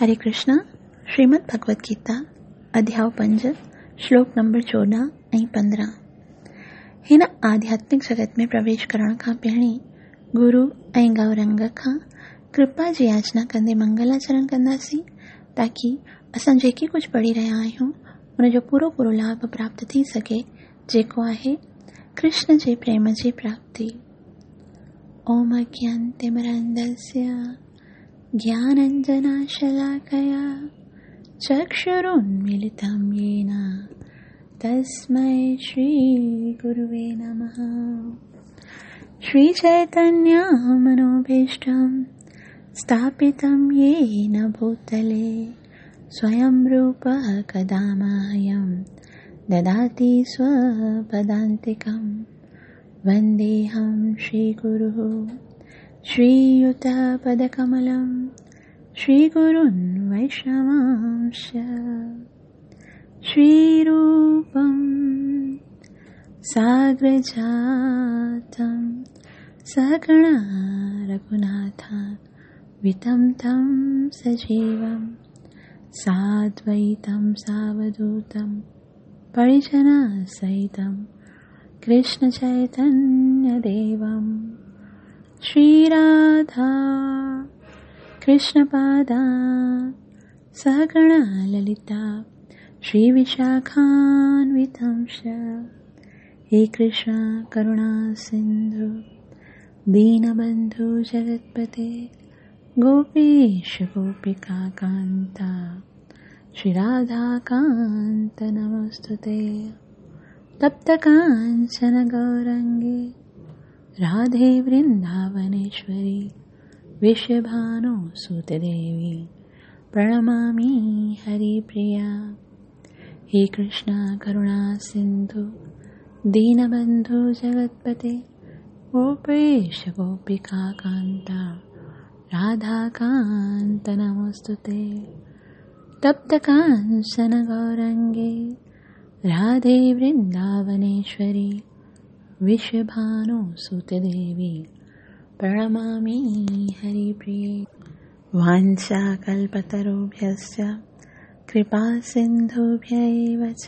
هري ڪرشنا، شريمد ڀڳوت گيتا، اڌياء پنج، شلوڪ نمبر 14 ۽ 15. هن آڌياتمڪ جڳت ۾ پرويش ڪرڻ کان پهرين گرو ۽ گورنگ کان ڪرپا جي ياچنا ڪندي منگلاچرڻ ڪنداسين تاڪي اسان جيڪي ڪجهه پڙهي رهيا آهيون ان جو پورو پورو لاڀ پراپت ٿي سگهي جيڪو آهي ڪرشن جي پريم جي پراپتي. اوم اگيانتمرندسيا گياننجناشلاڪيا چڪشرونميلتم يين تسمي شري گروي نمه. شري چيتنيا منوڀيشٽم ستاپتم يين ڀوتلي سويم روپ ڪدا مهيم دداتي سوپدانتڪم. ونديهم شري گرو شري يوتپدڪملم شري گرون ويشنوانش شري روپم ساگرجاتم سگڻا رघناٿا وتم تم سجيوم سادويتم ساوڌوتم پرجنا سهتم ڪرشن چيتنيه ديوم. شري راڌا ڪرشن پادا سهگڻا للتا شري وشاکانوتمش. هي ڪرشن ڪروڻا سنڌو دينبنڌو جگتپتي گوپيش گوپيڪا ڪانتا شري راڌا ڪانت نمستي. تپت ڪانچن گورنگي راڌي ورنداونيشوري وشڀانو سوت ديوي پرڻمامي هري پريا. هي ڪرشن ڪروڻا سنڌو دينبنڌو جگتپتي گوپيش گوپيڪا ڪانتا راڌا ڪانت نمستي. تپت ڪانچن گورنگي راڌي ورنداونيشوري وشڀانو سوت ديوي پرڻمامي هري پريي. وانڇا ڪلپتروڀيشچ ڪرپا سنڌوڀيو چ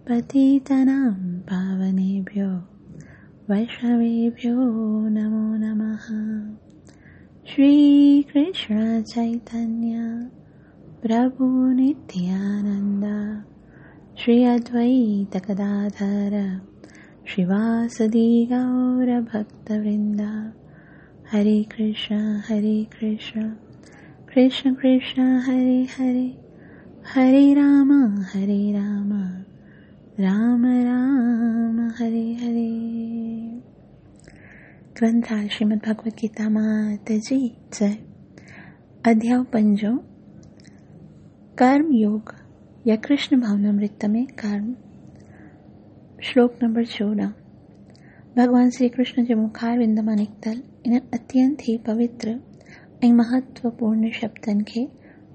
پتيتنام پاونيڀيو ويشنويڀيو نمو نمه. شري ڪرشن چيتنيه پرڀو نتيانند شري ادويت گداڌر شريواسدي گور ڀڪت ورند. هري ڪرشن هري ڪرشن ڪرشن ڪرشن هري هري هري رام هري رام رام رام هري هري. گرنٿ شريمد ڀڳوت گيتا مات جي جئي. اڌياء پنجون، ڪرم يوگ يا ڪرشن ڀاونامرت ۾ ڪرم. شلوڪ نمبر 14. ڀڳوان شري ڪرشن جي مکار وند مان نڪتل انهن اتينت ئي پوتر ۽ مهتوپورڻ شبدن کي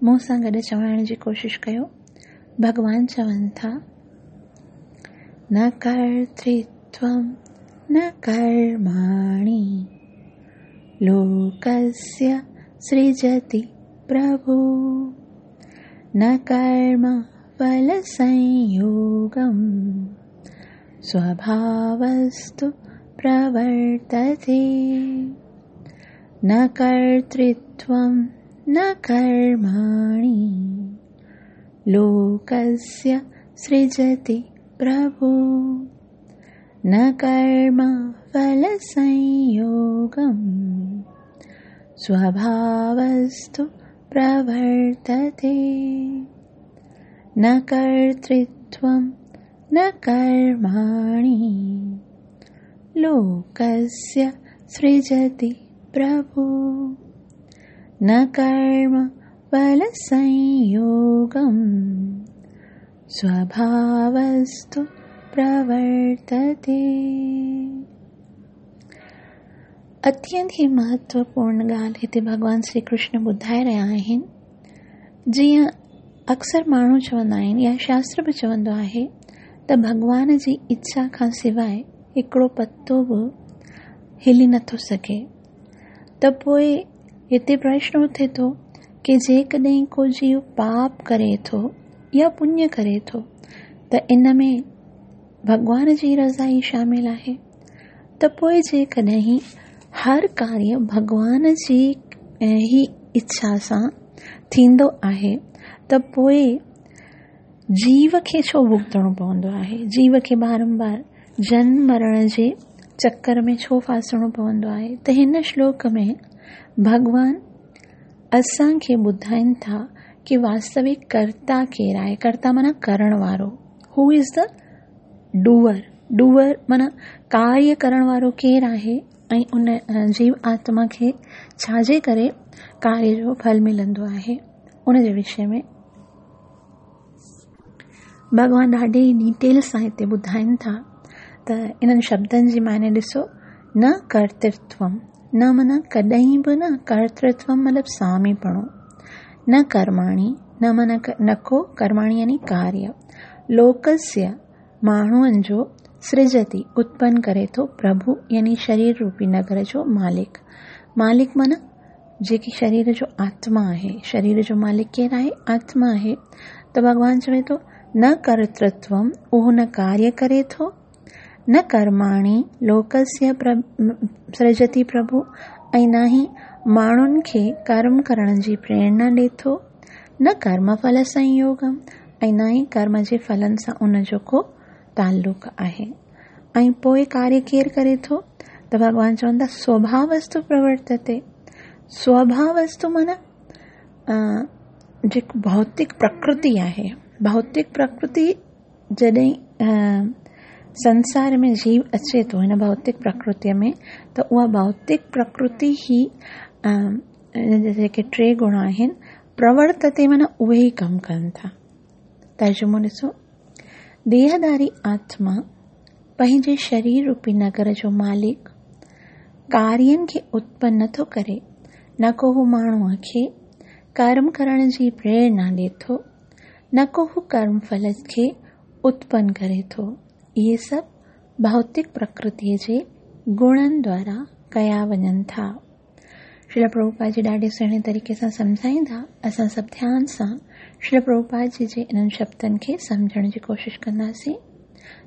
مون سان گڏ چوائڻ جي ڪوشش ڪيو. ڀڳوان چون ٿا، نه ڪرترتوم نه ڪرماڻي لوڪسيه سرجتي پرڀو، نه ڪرم ڦل سنيوگم سوڀاوستو پرورتتي. نه ڪرترتوم نه ڪرماڻي لوڪسيه سرجتي پرڀو، نه ڪرم ڦل سنيوگم سوڀاوستو پرورتتي. نه ڪرترتوم نه ڪرماڻي لوڪسيه سرجتي پرڀو، نه ڪرم ڦل سنيوگم سوڀاوستو پرورتتي. اتينت ئي مهتوپورڻ ڳالهه هتي ڀڳوان شري ڪرشن ٻڌائي رهيا آهن. جيئن اڪثر ماڻهو چوندا آهن يا شاستر به چوندو آهي ته ڀڳوان جي اڇا کان سواءِ هڪڙو پتو به هلي نٿو سگهي، ته پوءِ هتي پرشن اٿي ٿو ڪي جيڪڏهن ڪو جيو پاپ ڪري ٿو يا پڃ ڪري ٿو ته ان ۾ ڀڳوان جي رضا ئي شامل آهي ته پوء جيڪڏهن هر ڪاريه ڀڳوان جي ئي اڇا سان ٿيندو آهي ته پوء جيو کي ڇو ڀڳتڻو پوندو آهي؟ جيو کي بارمبار جنم مرڻ جي چڪر ۾ ڇو ڦاسڻو پوندو آهي؟ ته هن شلوڪ ۾ ڀڳوان اسان کي ٻڌائين ٿا ڪي واستوڪ ڪرتا ڪير آهي؟ ڪرتا معنيٰ ڪرڻ وارو، هو از دا ڊوئر، ڊوئر معنيٰ ڪاريه ڪرڻ وارو ڪير آهي ۽ ان جيو آتما کي ڇا جي ڪري ڪاريه جو ڦل ملندو آهي، ان جي وشي ۾ ڀڳوان ڏاڍي ڊيٽيل سان هتي ٻڌائين ٿا ته انهن شبدن جي معني ڏسو نه ڪرترتوم نه معنيٰ ڪڏهن به نه ڪرترتوم مطلب ساميپڻو نه ڪرماڻي نه معنيٰ نه ڪو ڪرماڻي يعني ڪاريه لوڪسيه ماڻهن جو سرجتي اتپن ڪري ٿو پرڀو يعني شرير روپي نگر جو مالڪ مالڪ معنيٰ جيڪي شرير جو آتما آهي، شرير جو مالڪ ڪير آهي؟ آتما آهي. ته ڀڳوان چوي ٿو، نه ڪرترتوم، اهو نه ڪاريه ڪري ٿو، نه ڪرماڻي، لوڪسيه سرجتي پرڀو، ۽ نه ئي ماڻهن کي ڪرم ڪرڻ جي پريرنا ڏي ٿو، نه ڪرم ڦل سنيوگم، ۽ نه ئي ڪرم جي ڦلن سان ان جو ڪو تعلق آهي. ۽ پوء ڪاريه ڪير ڪري ٿو؟ ته ڀڳوان چون ٿا سوڀاوستو پرورتتي. سوڀاوستو معنيٰ جيڪو ڀوتڪ پرڪرتي آهي، ڀوتڪ پرڪرتي جڏهن سنسار ۾ جيو اچي ٿو هن ڀوتڪ پرڪرتيء ۾ ته اها ڀوتڪ پرڪرتي ئي ان جا جيڪي ٽي گڻ آهن پرورتتي معنيٰ اهي ئي ڪم ڪن ٿا. ترجمو ڏسو، ديهداري آتما پنهنجي شرير روپي نگر جو مالڪ ڪارين کي اتپن نٿو ڪري، نه ڪو هو ماڻهوء کي ڪرم ڪرڻ جي پريرنا ڏئي ٿو، نه ڪو هو ڪرم ڦل کي اتپن ڪري ٿو. اهي سڀ ڀوتڪ پرڪرتيء جي گڻن دوارا ڪيا وڃن ٿا. شريل پرڀوپاد جي ڏاڍي سهڻي طريقي سان سمجهائيندا. اسان سڀ ڌيان سان شريل پرڀوپاد جي جي انهن شبدن کي سمجهڻ جي ڪوشش ڪنداسين.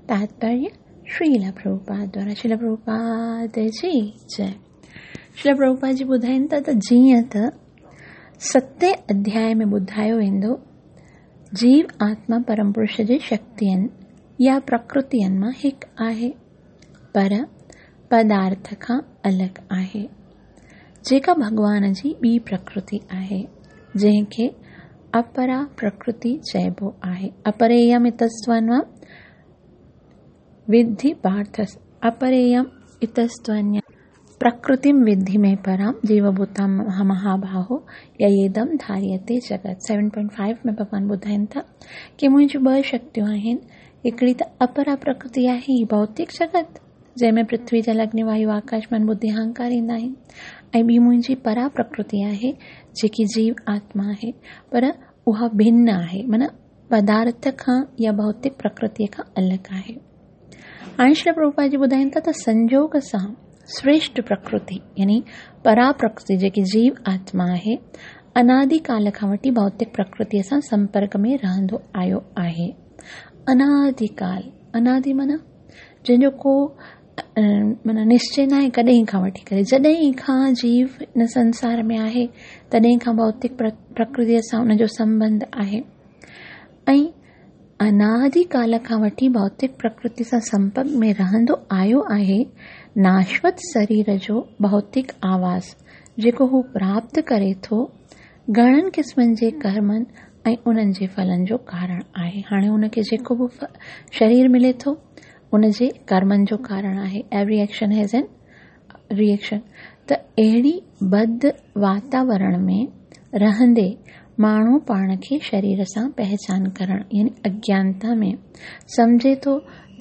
تاتپريه شريل پرڀوپاد دوارا شريل پرڀوپاد جي جئي. شريل پرڀوپاد جي ٻڌائين ٿا ته جيئن ته ستين اڌياء ۾ ٻڌايو ويندو جيو آتما پرم پرش جي شڪتين يا پرڪرتين مان هڪ آهي. پر پدارٿ کان الڳ آهي، جيڪا ڀڳوان جي ٻي پرڪرتي آهي، جنهن کي اپرا پرڪرتي چئبو آهي. اپريم اتستونوام وڌي پارٿ اپريم اتستونيام پرڪرتيم وڌي ۾ پرام جيو ڀوتام مهاباهو ييدم ڌاريتي جڳت. سيون پوائنٽ فائيو ۾ ڀڳوان ٻڌائين ٿا ڪي منهنجون ٻه شڪتيون آهن، هڪڙي ته اپرا پرڪرتي آهي هي ڀوتڪ جڳت، جنهن ۾ پرٿوي، جل، اگني، وايو، آڪاش، من، ٻڌي، اهنڪار ايندا آهن ۽ ٻي منهنجي پرا پرڪرتي آهي جيڪي جيو آتما آهي پر اها ڀن آهي معنيٰ پدارٿ کان يا ڀوتڪ پرڪرتيء کان الڳ آهي. هاڻي شري پرڀوپاد جي ٻڌائين ٿا ته سنجوڳ سان سريشٽ پرڪرتي يعني پرا پرڪرتي جيڪي جيو آتما آهي انادي ڪال کان وٺي ڀوتڪ پرڪرتيء سان سمپرڪ ۾ رهندو آيو آهي. انادي ڪال، انادي معنيٰ جنهن جو ڪو معنيٰ نشچي ناهي ڪڏهن کان وٺي ڪري جڏهن کان جيو هن سنسار ۾ آهي تڏهن کان ڀوتڪ پرڪرتيء سان ان جو سنٻنڌ آهي ۽ انادي ڪال کان وٺي ڀوتڪ پرڪرتي سان سمپرڪ ۾ رهندو آيو آهي. ناشوت سرير جو ڀوتڪ آواس جيڪو هو پراپت ڪري ٿو، گهڻن قسمن جي ڪرمن ۽ انهن جي ڦلن جو ڪارڻ آهي. هاڻي هن کي جيڪو به شرير ملي ٿو، ان جي ڪرمن جو ڪارڻ آهي. Every action has an reaction ته اهڙي بد واتاورڻ ۾ رهندي ماڻهو پاڻ کي شرير سان پهچان ڪرڻ يعني اگيانتا ۾ سمجهي ٿو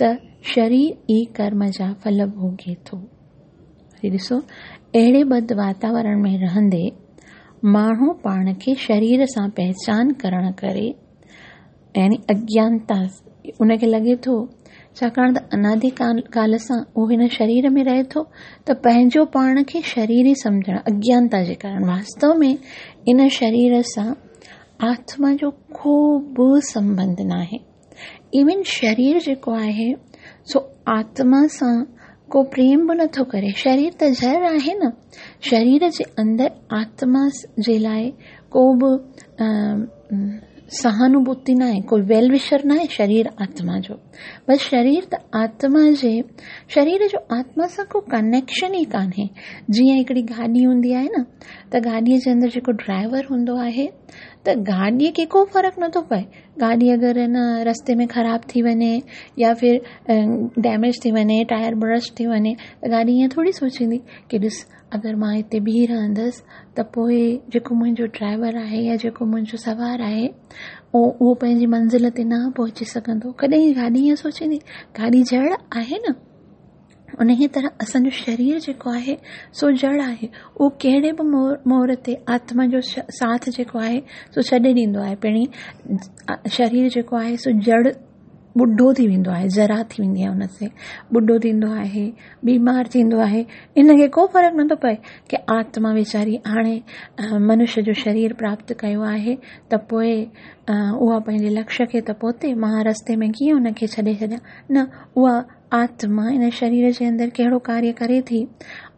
ته شرير ئي ڪرم جا ڦل ڀوڳي ٿو. وري ڏسو اهڙي بد واتاورڻ ۾ رهندي ماڻهو پاڻ کي شرير سان پهچان ڪرڻ ڪري يعني اگيانتا ان کي لڳي ٿو ڇاڪاڻ ته انادي ڪال سان اهو هن شرير ۾ رهي ٿو ته پنهنجو پاڻ کي شرير ئي سمجهڻ اگيانتا جي ڪارڻ واستو ۾ ان شرير سان آتما جو ڪو به سنٻنڌ ناهي. ايون شرير جيڪو آهي سو آتما سان ڪو پريم به نٿو ڪري. شرير ته جڙ آهي نه. شرير جي اندر آتما جي لاء ڪو به سهانوڀوتي ناهي، ڪوئي ويل وشر ناهي شرير آتما جو. بس شرير ته آتما جي شرير جو آتما سان ڪو ڪنيڪشن ئي ڪانهي. جيئن هڪڙي گاڏي هوندي آهي نه ته گاڏيء جي اندر جيڪو ڊرائيور هوندو آهي ته گاڏيء کي ڪو فرق نٿو پئي. گاڏي اگر نه رستي ۾ خراب ٿي وڃي يا ڦر ڊيميج ٿي وڃي، ٽائر برسٽ ٿي وڃي ته گاڏي ائين ٿوري سوچيندي ڪي ڏس اگر مان هتي بيهي رهندس ته پوء جيڪو منهنجو ڊرائيور آهي يا جيڪو منهنجو سوار آهي اهو پنهنجي منزل تي نه پهچي سگهندو. ڪڏهن گاڏي ائين سوچيندي؟ گاڏي جڙ آهي نه. انهيء طرح اسان جو شرير جيڪو آهي سو جڙ آهي. اهو ڪهڙي به مور تي آتما جو ساٿ جيڪو آهي سو ڇڏي ڏيندو آهي. پهرين شرير جيڪو آهي سو جڙ ٻڍو ٿي ويندو آهي، جرا ٿي ويندي آهي ان تي، ٻڍو ٿيندو آهي، بيمار ٿيندو آهي، ان کي ڪو فرق نٿو پئي ڪي آتما ويچاري هاڻي منش جو شرير پراپت ڪيو آهي ته پوء اها پنهنجي لڪشيه کي ته پهتي، مان رستي ۾ ڪيئن ان کي ڇڏي ڇڏيان، نه اها آتما ان شرير جي اندر ڪهڙو ڪاريه ڪري ٿي،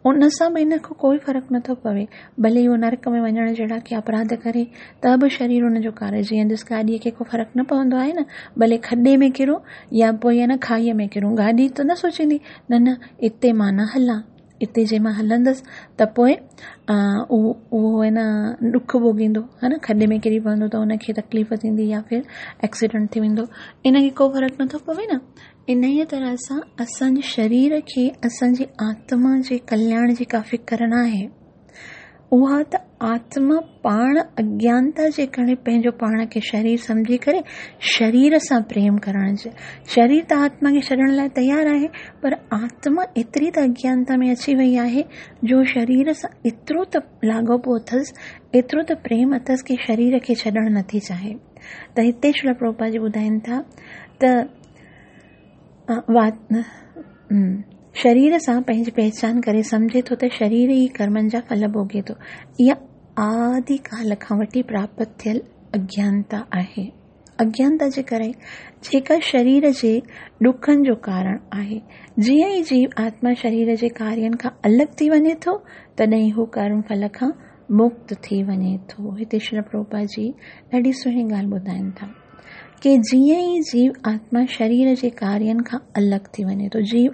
ان سان به ان کي ڪوئي فرق نٿو پوي، ڀلي اهو نرڪ ۾ وڃڻ جهڙا ڪي اپراڌ ڪري ته به شرير ان جو ڪاريه، جيئن ڏس گاڏيء کي ڪو فرق نه پوندو آهي نه، ڀلي کڏي ۾ ڪرون يا پوء نه کاهيء ۾ ڪرون، گاڏي ته نه سوچيندي نه نه اتي مان نه هلان، اتي جي مان هلندس ته پوء اهو نه ڏک ڀوڳيندو ها نه، کڏي ۾ ڪري پوندو ته ان کي تڪليف ٿيندي يا ڦر ايڪسيڊنٽ ٿي ويندو، ان کي ڪو فرق نٿو پوي نه. انهيء طرح سان اسان جي شرير کي اسان جي آتما جي ڪلياڻ جي ڪا فڪر ناهي. اها ته آتما پاڻ اگيانتا جي ڪري پنهنجو پاڻ کي شرير سمجهي ڪري شرير سان پريم ڪرڻ جي شرير ته آتما کي ڇڏڻ لاء تيار آهي پر آتما ايتري ته اگيانتا ۾ اچي وئي آهي جو شرير سان ايترو ته لاڳاپو اٿس ايترو ته پريم اٿس ڪي شرير کي ڇڏڻ نٿي چاهي ته هتي شريل پرڀوپاد جي ٻڌائين ٿا ته شرير سان پنهنجي پهچان ڪري سمجهي ٿو ته شرير ئي ڪرمن جا ڦل ڀوڳي ٿو. اها آدي ڪال کان وٺي پراپت ٿيل اگيانتا آهي. اگيانتا جي ڪري جيڪا شرير جي ڏکن جو ڪارڻ آهي. جيئن ئي جيو آتما شرير جي ڪارين کان الڳ ٿي وڃي ٿو، تڏهن هو ڪرم ڦل کان مڪت ٿي وڃي ٿو. هتي شريل پرڀوپاد جي ڏاڍي سهڻي ڳالهه ٻڌائين ٿا. ڪي جيئن ئي جيو آتما شرير جي ڪارين کان الڳ ٿي وڃي ٿو، جيو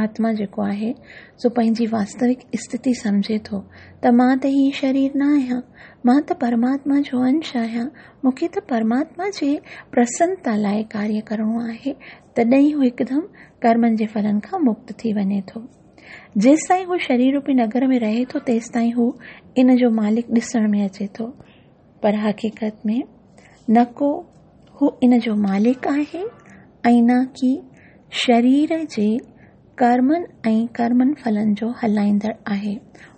آتما جيڪو آهي سو پنهنجي واستوڪ اسٿتي سمجهي ٿو ته مان ته هي شرير نه آهيان، مان ته پرماتما جو انش آهيان، مون کي ته پرماتما جي پرسنتا لاء ڪاريه ڪرڻو آهي، تڏهن هو هڪدم ڪرمن جي ڦلن کان مڪت ٿي وڃي ٿو. جيستائين هو شرير روپي نگر ۾ رهي ٿو، تيستائين هو ان جو مالڪ ڏسڻ ۾ اچي ٿو. پر حقيقت ۾ نه ڪو هو ان جو مالڪ آهي ۽ نه ڪي شرير جي ڪرمن ۽ ڪرمن ڦلن جو هلائيندڙ آهي.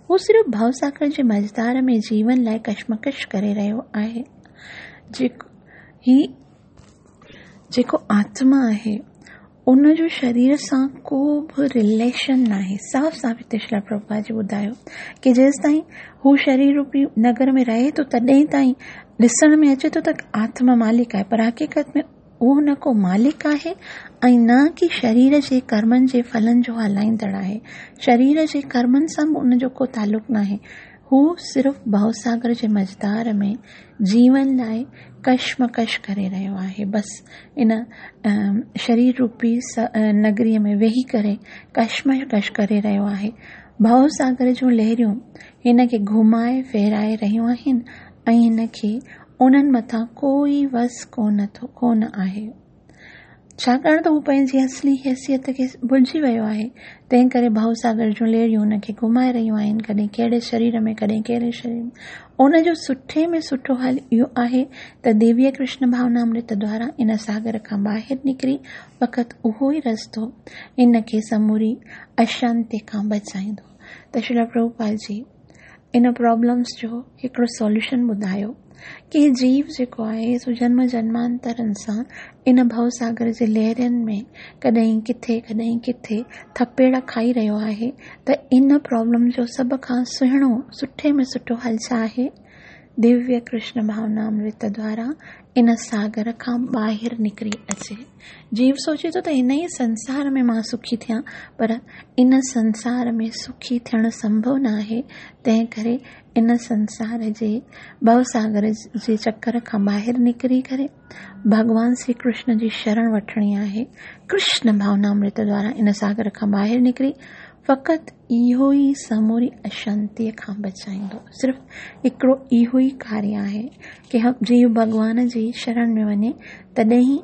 هو صرف ڀوساگر جي منجهڌار ۾ جيون لاء ڪشمڪش ڪري رهيو آهي. هي جيڪو آتما آهي ان جو شرير سان ڪو به رليشن ناهي. صاف صاف هتي شريل پرڀوپاد جي ٻڌايو ڪي جيستائين هو شرير روپي نگر ۾ رهي ٿو تڏهن تائين ڏسڻ ۾ اچي ٿو ته آتما مالڪ آهي پر حقيقت ۾ اهو نه ڪو مالڪ آهي ۽ نه ڪي شرير جي ڪرمن جي ڦلن جو هلائيندڙ آهي. شرير جي ڪرمن سان به ان جو ڪو تعلق ناهي. هو صرف ڀوساگر جي منجهڌار ۾ جيون لاء ڪشمڪش ڪري رهيو آهي. بس ان شرير روپي نگريء ۾ ويهي ڪري ڪشمڪش ڪري رهيو آهي. ڀوساگر جون لهريون هن کي گهمائي ڦيرائي رهيون آهن ۽ هن کي انهن مٿان ڪوئي وس ڪونه آهي. ڇاڪاڻ ته هو پنهنجي اصلي حيثيت کي ڀلجي ويو آهي، تنهن ڪري ڀؤ ساگر جون لهريون هن کي گهمائي رهيون آهن، ڪڏهن ڪهڙي شرير ۾ ڪڏهن ڪهڙي شرير ۾. ان جو سٺي ۾ سٺو حل اهو آهي ته ديويه ڪرشن ڀاونامرت دوارا ان ساگر کان ٻاهر نڪري فقط اهو ئي رستو هن کي سموري اشانتي کان بچائيندو. ته شريل پرڀوپاد جي ان پرابلمس جو هڪڙو سوليوشن ٻڌايو ڪي جيو جيڪو آهي سو جنم جنمانترن سان ان ڀؤ ساگر جي لهرين ۾ ڪڏهن ڪٿي ڪڏهن ڪٿي ٿپيڙا کائي رهيو آهي ته ان پرابلم جو سڀ کان سهڻو سٺي ۾ سٺو حل ڇا آهي؟ دويه ڪرشن ڀاونامرت دوارا ان ساگر کان ٻاهر نڪري اچي. جيو سوچي ٿو ته هن ئي سنسار ۾ مان سکي ٿيان، پر ان سنسار ۾ سکي ٿيڻ سنڀو نه آهي، تنهن ڪري ان سنسار جي ڀوساگر جي چڪر کان ٻاهر نڪري ڪري ڀڳوان شري ڪرشن جي شرڻ وٺڻي آهي. ڪرشن ڀاونامرت دوارا ان ساگر کان ٻاهر نڪري فقط اهو ئي سموري اشانتيء کان بچائيندو. صرف هڪڙو اهو ئي ڪاريه آهي ڪي جيو ڀڳوان جي شرڻ ۾ وڃي تڏهن ئي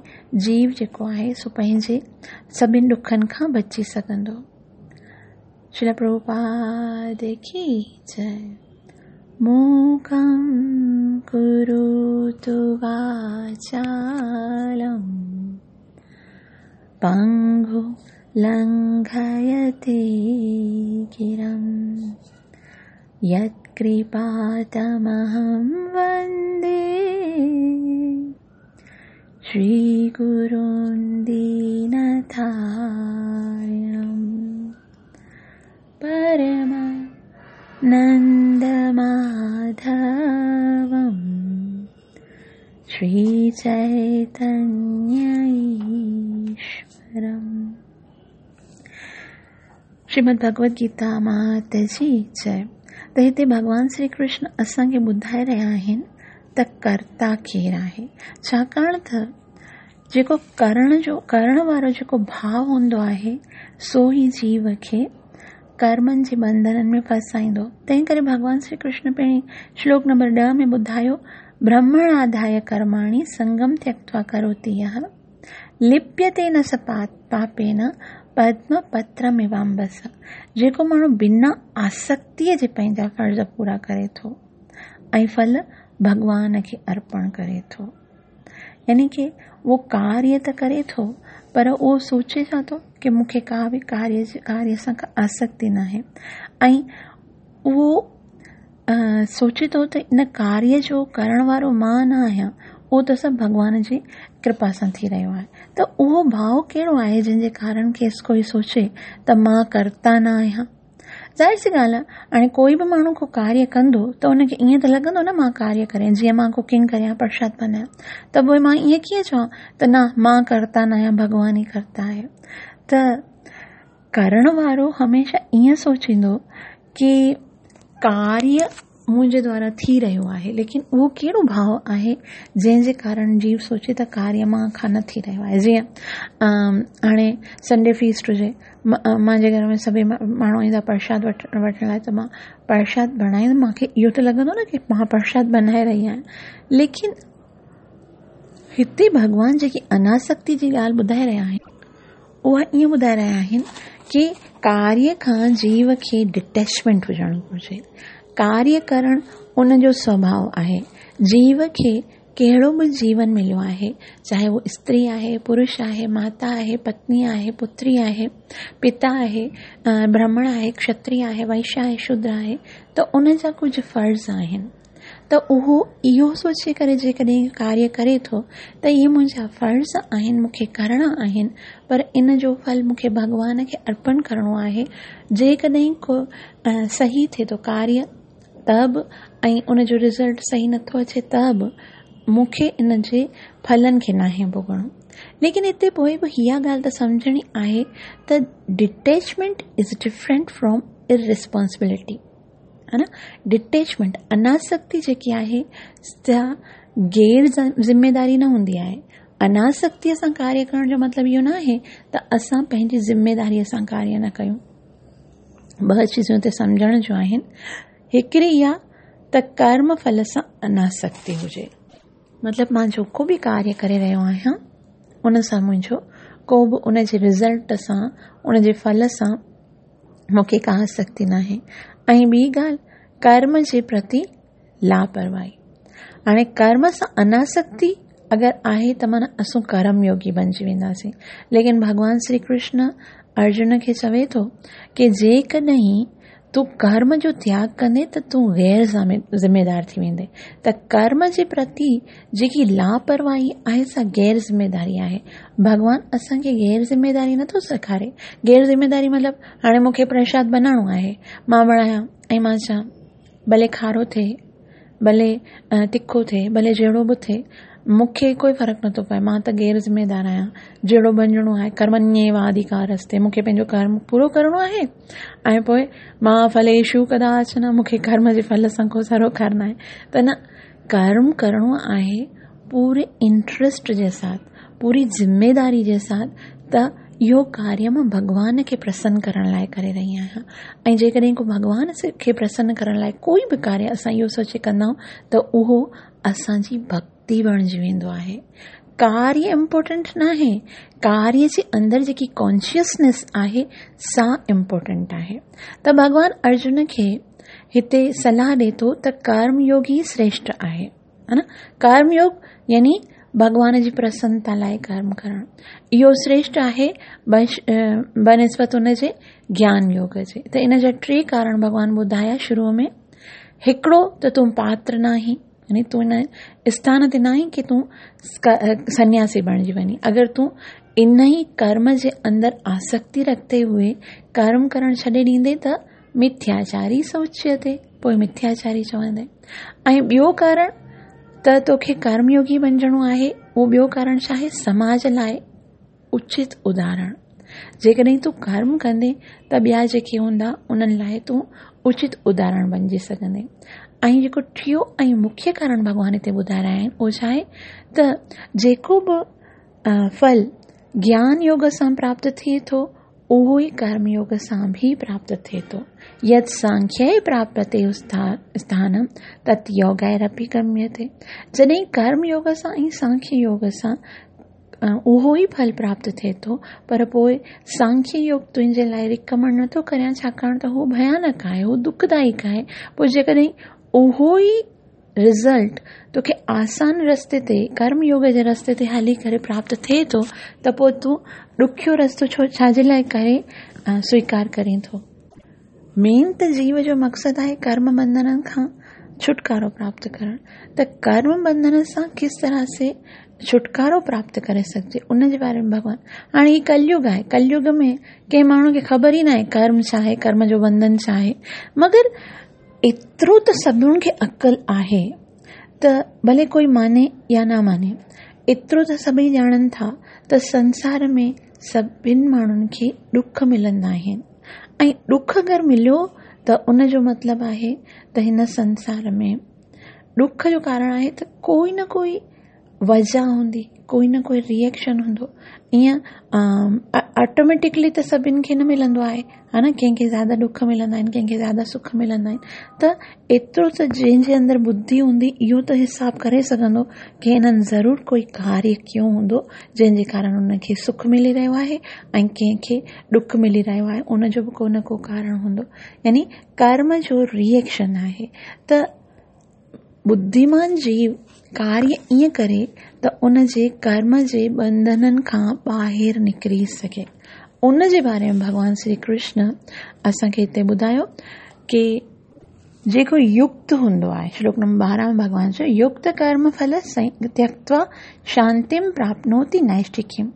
جيو جيڪو آهي سو پنهنجي سڀن ڏکن کان بچي سگهندو. شريل پرڀوپاد ڪي جئي. موڪم ڪروتو واچالم پنگو لنگهيتي گرم يتڪرپا تمهم وندي شري گرون دينتارڻم پرما نند ماڌوم شري چيتنيه ايشورم. شريمد ڀڳوت گيتا مات جي جئي. ته هتي ڀڳوان شري ڪرشن اسان کي ٻڌائي رهيا آهن ته ڪرتا ڪير آهي، ڇاڪاڻ ته جيڪو ڪرڻ جو ڪرڻ وارو جيڪو ڀاو هوندو آهي سو ئي جيو کي ڪرمن جي بنڌنن ۾ ڦاسائيندو. تنهن ڪري ڀڳوان شري ڪرشن پهرين شلوڪ نمبر 10 ۾ ٻڌايو، برهمڻ آڌايه ڪرماڻي سنگم تيڪتوا ڪروتي يهه لپيتي نه س پاپين پدم پترميوامبس. جيڪو ماڻهو بنا آسڪتيء جي پنهنجا فرض پورا ڪري ٿو ۽ ڦل ڀڳوان کي ارپڻ ڪري ٿو، يعني ڪي اهو ڪاريه ته ڪري ٿو پر اهو سوچي ڇا ٿو ڪي مون کي ڪا به ڪاريه جي ڪاريه سان ڪا آسڪتي ناهي ۽ اهو سوچي ٿو ته ان ڪاريه جو ڪرڻ وارو مان نه آهيان، اهو ته سڀ ڀڳوان جي ڪرپا سان ٿي رهيو آهي. ته اهو ڀاو ڪهڙو آهي جنهن جي ڪارڻ کيس ڪوئي سوچي ته مان ڪرتا نه آهيان. ظاهر سي ڳالهه آهي هاڻي ڪوئي به ماڻهو ڪو ڪاريه ڪندو ته ان کي ائين ته لڳندو نه مان ڪاريه ڪريان، جيئن مان ڪوڪنگ ڪريان، پرشاد بنايان، ته پوء مان ائين ڪيئن چوان ته نه مان ڪرتا نه آهيان، ڀڳوان ئي ڪرتا آهي. ته ڪرڻ وارو هميشه ائين سوچيندو ڪي ڪاريه منهنجي دوارا ٿي رهيو آهي، ليڪن اهو ڪهڙو ڀاو آهي جنهن جي ڪارڻ جيو سوچي ته ڪاريه مان کان نه ٿي رهيو آهي. جيئن هاڻي سنڊي فيسٽ هجي، منهنجي گهر ۾ سڀئي ماڻهو ايندا پرشاد وٺڻ لاءِ ته مان پرشاد بڻائيندم، مون کي اهو ته لڳندو نه ڪي مان پرشاد بنائي رهي آهيان، ليڪن هتي ڀڳوان جيڪي اناسڪتي جي ڳالهه ٻڌائي رهيا آهن اها ائين ٻڌائي رهيا آهن ڪي ڪاريه کان جيو کي ڊٽيچمينٽ هجڻ گهرجي. ڪاريه ڪرڻ ان جو سوڀاء آهي. جيو کي ڪهڙو به جيون مليو آهي، چاهي اهو استري آهي، پرش آهي، ماتا آهي، پتني آهي، پتري آهي، پتا آهي، برهمڻ آهي، کشتري آهي، وئشيه آهي، شودر آهي، ته ان جا ڪجهه فرض آهن. ته اهو اهو سوچي ڪري جيڪڏهن ڪاريه ڪري ٿو ته اهي منهنجا فرض آهن، مون کي ڪرڻا آهن، پر ان جو ڦل مون کي ڀڳوان کي ارپڻ ڪرڻو آهي. جيڪڏهن ڪو صحيح ٿئي ٿو ڪاريه ته به ۽ ان جو رزلٽ صحيح نٿو اچي ته به مون کي ان جي ڦلن کي ناهي ڀوڳڻو. ليڪن هتي پوء به اها ڳالهه ته سمجهڻي آهي ته ڊٽيچمينٽ is different from ارريسپانسبلٽي. ها نه ڊٽيچمينٽ اناسڪتي جيڪي آهي سا غير ذميداري نه هوندي آهي. اناسڪتيء سان ڪاريه ڪرڻ جو مطلب اهو نه آهي ته اسان پنهنجي ذميداريء سان ڪاريه نه ڪيون. ٻه چيزون هتي سمجهڻ جون آهن. هڪڙي اها ته ڪرم ڦل سان اناسڪتي هجي. مطلب مان جيڪو به ڪاريه ڪري رهيو آهيان ان سان منهنجو ڪو به ان جي رزلٽ سان ان جي ڦل سان مون کي ڪا آسڪتي ناهي. ۽ ٻي ڳالهه ڪرم جي پرتي لاپرواهي. هاڻي ڪرم سان اناسڪتي اگر آهي ته معنيٰ اسون ڪرم يوگي بنجي وينداسين. ليڪن ڀڳوان شري ڪرشن ارجن کي چوي ٿو ڪي جيڪڏهن تون ڪرم جو تياڳ ڪندين ته تون غير ذميدار ٿي ويندين. ته ڪرم جي پرتي جيڪي لاپرواهي آهي سا غير ذميداري آهي. ڀڳوان اسان کي غير ذميداري نٿو سيکاري. غير ذميداري مطلب هاڻي مون کي پرشاد بنائڻو آهي، مان بڻايان ۽ مان چوان ڀلي کارو ٿئي، ڀلي تکو ٿئي، ڀلي جهڙو به ٿئي، مون کي ڪوئي فرق نٿو پئي، مان ته غير ذميدار آهيان، جهڙو بنجڻو آهي، ڪرمण्يواڌڪارستي، مون کي پنهنجو ڪرم پورو ڪرڻو آهي ۽ پوء ما ڦليشو ڪداچن، مون کي ڪرم جي ڦل سان ڪو سروڪار ناهي. ته نه، ڪرم ڪرڻو آهي پوري انٽرسٽ جي ساٿ، پوري ذميداري جي ساٿ ته اهو ڪاريه مان ڀڳوان کي پرسن ڪرڻ لاء ڪري رهي آهيان ۽ جيڪڏهن ڪو ڀڳوان کي پرسن ڪرڻ لاء ڪوئي به ڪاريه اسان اهو سوچي ڪندا آهيون ته اهو اسان جي ڀڪتي بڻجي ويندو آهي. ڪاريه امپورٽنٽ ناهي، ڪاريه جي اندر جيڪي ڪانشسنيس آهي سا امپورٽنٽ آهي. ته ڀڳوان ارجن کي هتي صلاح ڏي ٿو ته ڪرم يوگ ئي شريشٺ آهي. ها نه؟ ڪرم يوگ يعني ڀڳوان جي پرسنتا لاء ڪرم ڪرڻ اهو شريشٺ آهي بنسبت ان جي گيان يوگ جي. ته ان جا ٽي ڪارڻ ڀڳوان ٻڌايا شروع ۾. هڪڙو ته تون پاتر ناهين، يعني تون ان اسٿان تي ناهين ڪي تون سنياسي بڻجي وڃين. اگر تون ان ئي ڪرم جي اندر آسڪتي رکتي هوئي ڪرم ڪرڻ ڇڏي ڏيندين ته مٿياچاري س اچيتي، پوء مٿياچاري چوندين. ۽ ٻيو ڪارڻ ته توکي ڪرم يوگي بنجڻو آهي، اهو ٻيو ڪارڻ ڇا آهي؟ سماج لاء اچت اداهرڻ. جيڪڏهن تون ڪرم ڪندين ته ٻيا جيڪي هوندا انهن لاء تون اچت اداهرڻ بنجي سگهندين. ۽ جيڪو ٽيون ۽ مکيه ڪارڻ ڀڳوان هتي ٻڌائي رهيا آهن اهو ڇا آهي ته جيڪو به ڦل گيان يوگ سان پراپت ٿئي ٿو اهو ئي ڪرم يوگ سان به پراپت ٿئي ٿو. يت سانکيه پراپتي اسٿانم تت يوگيرپي گميتي. جڏهن ڪرم يوگ سان ۽ سانکيه يوگ سان اهو ئي ڦل پراپت ٿئي ٿو پر پوء سانکيه يوگ تنهنجي لاء ريڪمنڊ نٿو ڪريان ڇاڪاڻ ته هو ڀيانڪ آهي، هو دکدائڪ آهي. پوء جيڪڏهن اهو ئي رزلٽ توکي آسان رستي تي ڪرم يوگ جي رستي تي هلي ڪري پراپت ٿئي ٿو ته پوء تون ڏکيو رستو ڇو ڇا جي لاء ڪري سويڪار ڪرين ٿو. مين ته جيو جو مقصد آهي ڪرم بنڌنن کان ڇوٽڪارو پراپت ڪرڻ ته ڪرم بنڌن سان ڪس طرح سي ڇوٽڪارو پراپت ڪري سگهجي ان جي باري ۾ ڀڳوان هاڻي هي ڪليگ آهي ڪليگ ۾ ڪنهن ماڻهو کي خبر ئي ناهي ڪرم ڇا آهي ڪرم جو بنڌن ڇا آهي مگر ايترو ته سڀني کي عقل آهي ته ڀلي ڪوئي ماني يا نه ماني ايترو ته سڀئي ڄاڻن ٿا ته سنسار ۾ سڀن ماڻهن کي ڏک ملندا آهن ۽ ڏک اگر مليو ته ان جو مطلب آهي ته هن سنسار ۾ ڏک جو ڪارڻ آهي ته ڪوئي نه ڪوئي وجهه هوندي، ڪوئي نه ڪوئي ري ايڪشن هوندو. ائين آٽوميٽڪلي ته سڀني کي نه ملندو آهي ها نه ڪنهن کي زياده ڏک ملندا آهن ڪنهن کي زياده سک ملندا آهن ته ايترو ته جنهن جي اندر ٻڌي هوندي اهو ته حساب ڪري سگهندو ڪي هنن ضرور ڪوئي ڪاريه ڪيو هوندو جنهن جي ڪارڻ هن کي سک ملي رهيو آهي ۽ ڪنهن کي ڏک ملي رهيو آهي ان جو به ڪو نه ڪو ڪارڻ هوندو يعني ڪرم جو ري ايڪشن آهي ته ٻڌيمان جيو ڪاريه ائين ڪري ته ان جي ڪرم جي ٻنڌنن کان ٻاهر نڪري سگهي. ان جي باري ۾ ڀڳوان شري ڪرشن اسان کي هتي ٻڌايو ڪي جيڪو يڪت هوندو آهي، شلوڪ نمبر 12 ۾ ڀڳوان چيو يڪت ڪرم ڦل تيڪتوا شانتيم پراپنوتي نائشٽڪيم،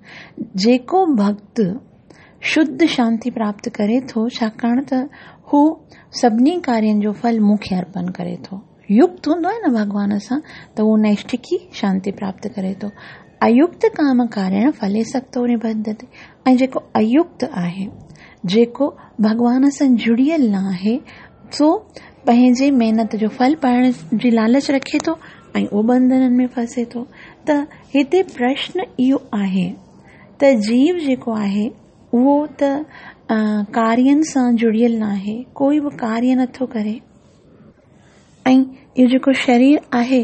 جيڪو ڀڳت شڌ شانتي پراپت ڪري ٿو ڇاڪاڻ ته هو سڀني ڪارين جو ڦل مون کي ارپن ڪري ٿو. يڪت هوندو آهي نه ڀڳوان سان ته هو نيشٺڪي شانتي پراپت ڪري ٿو. ايڪت ڪام ڪاريڻ ڦلي سڪتو نبڌتي ۽ جيڪو ايڪت آهي جيڪو ڀڳوان سان جڙيل نه آهي سو پنهنجي محنت جو ڦل پائڻ جي لالچ رکي ٿو ۽ اهو ٻنڌنن ۾ ڦسي ٿو. ته هتي پرشن اهو آهي ته جيو جيڪو آهي اهو ته ڪارين سان جڙيل ناهي، ڪوئي به ڪاريه نٿو ڪري ۽ اهو جيڪو شرير آهي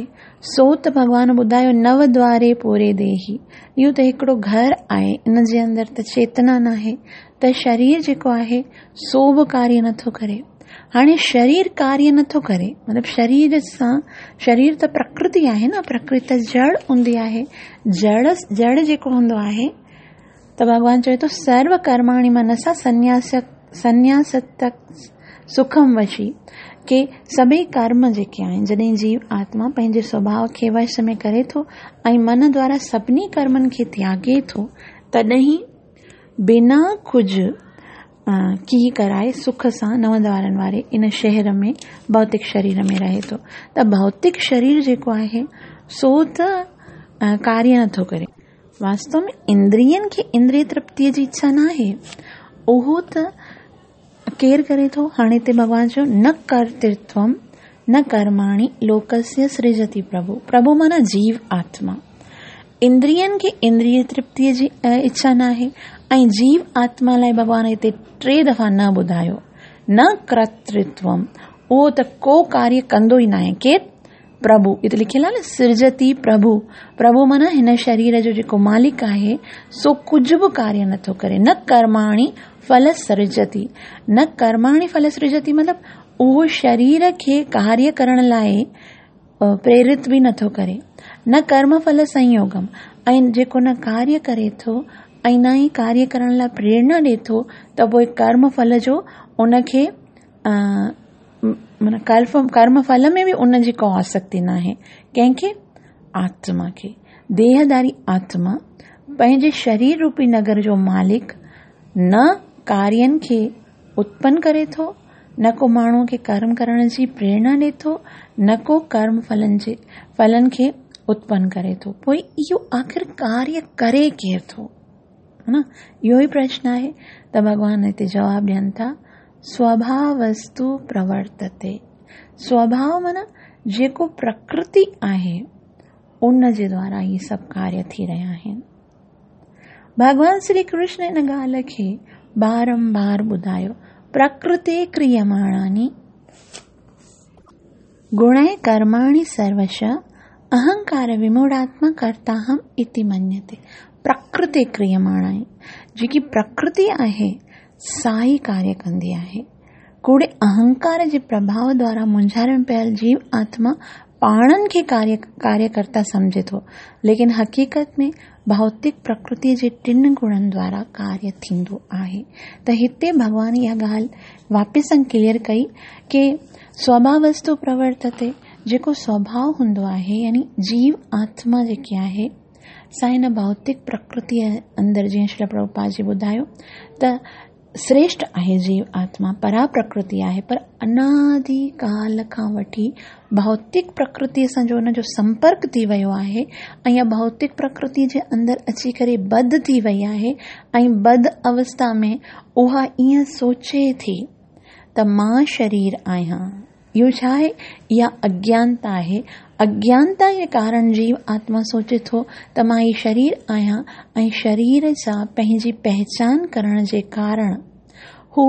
سو ته ڀڳوان ٻڌايو نو دواري پوري ديهي، اهو ته هڪڙو گهر آهي ان جي اندر ته چيتنا ناهي ته شرير جيڪو آهي سو به ڪاريه نٿو ڪري. هاڻي شرير ڪاريه نٿو ڪري مطلب شرير سان شرير ته پرڪرتي آهي نه پرڪرتي ته جڙ هوندي آهي جڙ جڙ جيڪو هوندو آهي ته ڀڳوان چوي ٿو سرو ڪرماڻي منسا سنياس سنياست سکم وشي ڪي سڀئي ڪرم جيڪي آهن جڏهن جيو آتما پنهنجي سوڀاء کي وش ۾ ڪري ٿو ۽ من دوارا سڀني ڪرمن کي تياڳي ٿو تڏهن بنا ڪجهه ڪيئن ڪرائي سک سان نو دوارن واري ان شهر ۾ ڀوتڪ شرير ۾ رهي ٿو ته ڀوتڪ شرير جيڪو آهي سو ته ڪاريه نٿو ڪري. واستو ۾ اندرين کي اندري ترپتيء جي اڇا ناهي، اهو ته ڪير ڪري ٿو؟ هاڻي هتي ڀڳوان چيو نه ڪرترتوم نه ڪرماڻي لوڪسيه سرجتي پرڀو، پرڀو معنيٰ جيو آتما. اندرين کي اندري ترپتيء جي اڇا ناهي ۽ جيو آتما لاء ڀڳوان هتي ٽي دفعا نه ٻڌايو، نه ڪرترتوم، اهو ته ڪو ڪاريه ڪندو ئي ناهي. ڪير؟ پرڀو، هتي لکيل آهي نه سرجتي پرڀو، پرڀو معنيٰ هن شرير جو جيڪو مالڪ آهي سو ڪجهه به ڪاريه نٿو ڪري، نه ڪرماڻي ڦل سرجتي، نه ڪرماڻي ڦل سرجتي مطلب اهو شرير کي ڪاريه ڪرڻ لاء پريرت به نٿو ڪري، نه ڪرم ڦل سنيوگم ۽ جيڪو نه ڪاريه ڪري ٿو ۽ نه ئي ڪاريه ڪرڻ لاء پريرنا ڏي ٿو ته پوء ڪرم ڦل جو ان کي معنيٰ ڪرم ڦل ۾ به ان جي ڪا آسڪتي ناهي. ڪنهن کي؟ آتما کي. ديهداري آتما پنهنجي شرير روپي نگر جو مالڪ نه ڪارين کي اتپن ڪري ٿو، نه ڪو ماڻهوء کي ڪرم ڪرڻ جي پريرنا ڏئي ٿو، نه ڪو ڪرم ڦلن کي اتپن ڪري ٿو. پوء اهو آخر ڪاريه ڪري ڪير ٿو؟ ها نه؟ اهو ئي پرشن آهي ته ڀڳوان هتي جواب ڏين ٿا، سوڀاوستو پرورتتي. سوڀاو معنيٰ جيڪو پرڪرتي آهي، ان جي دوارا هي سڀ ڪاريه ٿي رهيا آهن. ڀڳوان شري ڪرشن ان ڳالهه کي بارمبار ٻڌايو، پرڪرتي ڪريماڻاني گڻي ڪرماڻي سروش اهنڪار وموڙاتما ڪرتاهم اتي مڃيتي. پرڪرتي ڪريماڻاني جيڪي پرڪرتي آهي سا ئي ڪاريه ڪندي آهي. ڪوڙي اهنڪار جي پرڀاء دوارا مونجهاري ۾ پيل جيو آتما پاڻن کي ڪاريه ڪرتا سمجهي ٿو، ليڪن حقيقت ۾ ڀوتڪ پرڪرتي جي ٽن گڻن دوارا ڪاريه ٿيندو آهي. ته هتي ڀڳوان اها ڳالهه واپس سان ڪليئر ڪئي ڪي سوڀاوستو پرورتتي، جيڪو سوڀاء هوندو آهي يعني جيو آتما جيڪي آهي سا هن ڀوتڪ پرڪرتي اندر جيئن شريل پرڀوپاد جي ٻڌايو ته سريشٽ آهي جيو آتما پرا پرڪرتي آهي پر انادي ڪال کان وٺي ڀوتڪ پرڪرتي سان جو ان جو سمپرڪ ٿي ويو آهي ۽ اها ڀوتڪ پرڪرتي جي اندر اچي ڪري بڌ ٿي وئي آهي ۽ بڌ اوستا ۾ اها ائين سوچي ٿي ته مان شرير آهيان. اهو ڇا آهي؟ اها اگيانتا آهي. اگيانتا جي ڪارڻ جيو آتما سوچي ٿو ته مان هي شرير آهيان ۽ شرير سان پنهنجي پهچان ڪرڻ جي ڪارڻ هو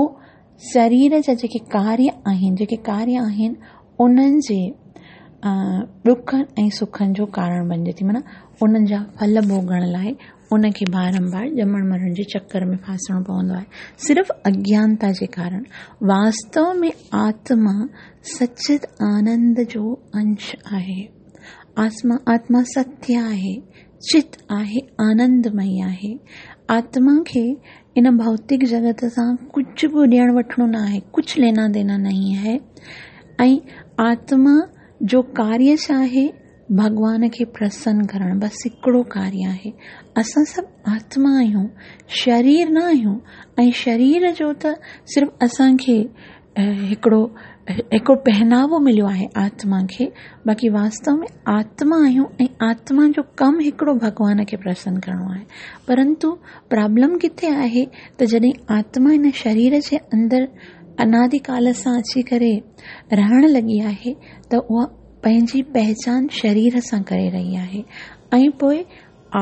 شرير جا جيڪي ڪاريه آهن، جيڪي ڪاريه آهن انهن جي ڏکن ۽ سکن جو ڪارڻ بنجي ٿي معنيٰ انهن جا ڦل ڀوڳڻ لاء ان کي بارمبار ڄمڻ مرڻ جي چڪر ۾ ڦاسڻو پوندو آهي صرف اگيانتا جي ڪارڻ. واستو ۾ آتما سچت آنند جو انش آهي. آتما ستيه آهي، چت آهي، آنندمئي آهي. آتما کي ان ڀوتڪ جڳت سان ڪجهه به ڏيڻ وٺڻو نه آهي، ڪجهه لينا دينا نهين هي. ۽ آتما جو ڪاريه ڇا آهي؟ ڀڳوان کي پرسن ڪرڻ بس هڪڙو ڪاريه آهي. اسان سڀ آتما آهيون، شرير نه آهيون ۽ شرير جو ته صرف اسان کي هڪڙو هڪڙو پهناوو مليو آهي آتما کي، باقي واستو ۾ آتما آهيون ۽ آتما جو ڪم هڪڙو ڀڳوان کي پرسن ڪرڻو آهي. پرنتو پرابلم ڪٿي آهي ته جڏهن آتما هن شرير جي اندر انادي ڪال سان اچي ڪري رهڻ لڳي آهي ته اها پنهنجي پهچان شرير سان ڪري رهي آهي ۽ پوء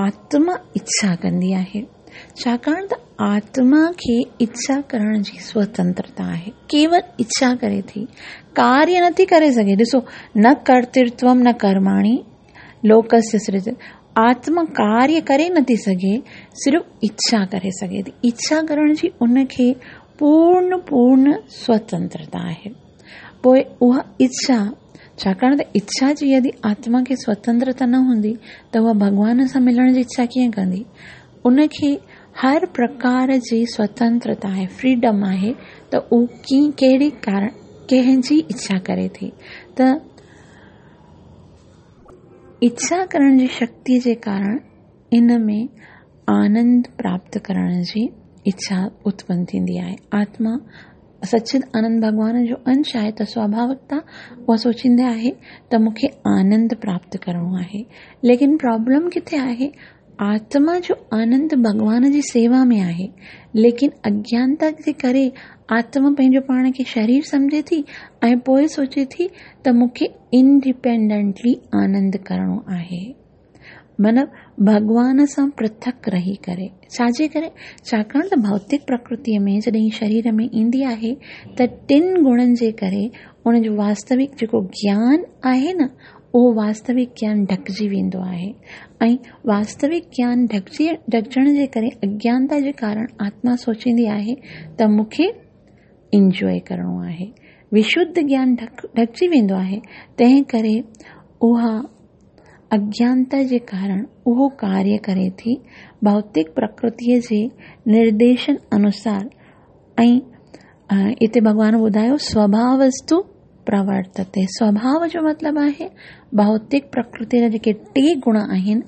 آتما اڇا ڪندي آهي ڇاڪاڻ ته آتما کي اڇا ڪرڻ جي سوتنترتا آهي ڪيول اڇا ڪري ٿي ڪاريه نٿي ڪري سگهي ڏسو نه ڪرترتوم نه ڪرماڻي لوڪسيه سرج آتما ڪاريه ڪري نٿي سگهي صرف اڇا ڪري سگهي ٿي اڇا ڪرڻ جي ان کي پورن پورن سوتنترتا آهي پوء اها اڇا، ڇاڪاڻ ته اڇا جي يدي آتما کي سوتنترتا نه هوندي ته اها ڀڳوان سان ملڻ جي اڇا ڪيئن ڪندي؟ ان کي هر پرڪار جي سوتنترتا آهي، فريڊم آهي ته هو ڪي ڪهڙي ڪارڻ ڪنهن جي اڇا ڪري ٿي ته اڇا ڪرڻ جي شڪتي جي ڪارڻ ان ۾ آنند پراپت ڪرڻ جي اڇا اتپن ٿيندي آهي. آتما سچد آنند ڀڳوان جو انش آهي ته سواڀاوڪتا اها سوچيندي آهي ته مون کي آنند پراپت ڪرڻو آهي. ليڪن پرابلم ڪٿي آهي؟ آتما جو آنند ڀڳوان جي سيوا ۾ آهي، ليڪن اگيانتا جي ڪري آتما پنهنجو پاڻ کي شرير سمجهي ٿي ۽ پوء سوچي ٿي ته مون کي انڊيپينڊنٽلي آنند ڪرڻو آهي. مطلب ڀڳوان سان پرٿڪ رهي ڪري. ڇا جي ڪري؟ ڇاڪاڻ ته ڀوتڪ پرڪرتيء ۾ جڏهن شرير ۾ ايندي آهي ته ٽن گڻن جي ڪري ان جو واستوڪ جيڪو گيان آهي نه اهو واستوڪ گيان ڍڪجي ويندو آهي ۽ واستوڪ گيان ڍڪجي ڍڪجڻ جي ڪري اگيانتا جي ڪارڻ آتما سوچيندي آهي ته مون کي انجوائي ڪرڻو آهي. وشڌ گيان ڍڪجي ويندو آهي تنهن ڪري اها اگيانتا جي ڪارڻ اهو ڪاريه ڪري ٿي، ڀوتڪ پرڪرتيء جي نرديشن انوسار ۽ اتي ڀڳوان ٻڌايو سوڀاوستو پرورتتي. سوڀاو جو مطلب آهي ڀوتڪ پرڪرتيء جا جيڪي ٽي گڻ آهن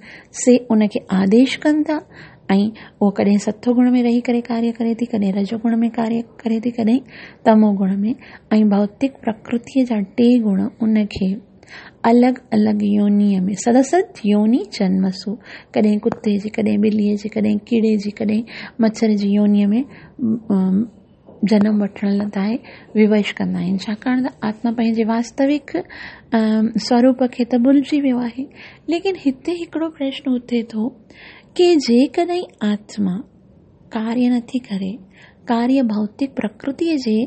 سي ان کي آديش ڪن ٿا ۽ اهو ڪڏهن ستو گڻ ۾ رهي ڪري ڪاريه ڪري ٿي، ڪڏهن رجو گڻ ۾ ڪاريه ڪري ٿي، ڪڏهن تمو گڻ ۾ ۽ ڀوتڪ پرڪرتيء جا ٽي گڻ ان کي الڳ الڳ يونيء ۾ سدسد يوني جنمسو، ڪڏهن ڪتي جي، ڪڏهن ٻليء جي، ڪڏهن ڪيڙي جي، ڪڏهن مڇر جي يونيء ۾ جنم وٺڻ لاء ووش ڪندا آهن، ڇاڪاڻ ته آتما پنهنجي واستوڪ سوروپ کي ته ڀلجي ويو آهي. ليڪن هتي هڪڙو پرشن اٿي ٿو ڪي جيڪڏهن آتما ڪاريه نٿي ڪري، ڪاريه ڀوتڪ پرڪرتيء جي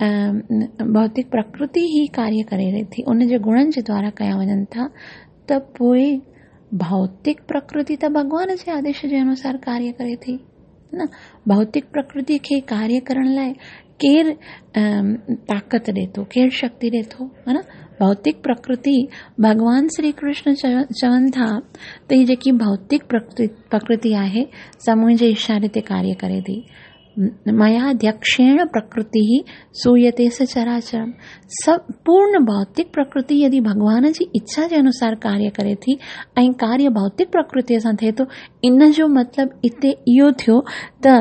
ڀوتڪ پرڪرتي ئي ڪاريه ڪري رهي ٿي، ان جي گڻن جي دوارا ڪيا وڃن ٿا ته پوء ڀوتڪ پرڪرتي ته ڀڳوان جي آديش جي انوسار ڪاريه ڪري ٿي نه؟ ڀوتڪ پرڪرتي کي ڪاريه ڪرڻ لاء ڪير طاقت ڏي ٿو، ڪير شڪتي ڏي ٿو، ها نه؟ ڀوتڪ پرڪرتي ڀڳوان شري ڪرشن چون ٿا ته هي جيڪي ڀوتڪ پرڪرتي آهي سا منهنجي اشاري تي ڪاريه ڪري ٿي. ميا ڌيڪشيڻ پرڪرتي سويتي سچراچرم. سڀ پورن ڀوتڪ پرڪرتي يدي ڀڳوان جي اڇا جي انوسار ڪاريه ڪري ٿي ۽ ڪاريه ڀوتڪ پرڪرتي سان ٿئي ٿو، ان جو مطلب اتي اهو ٿيو ته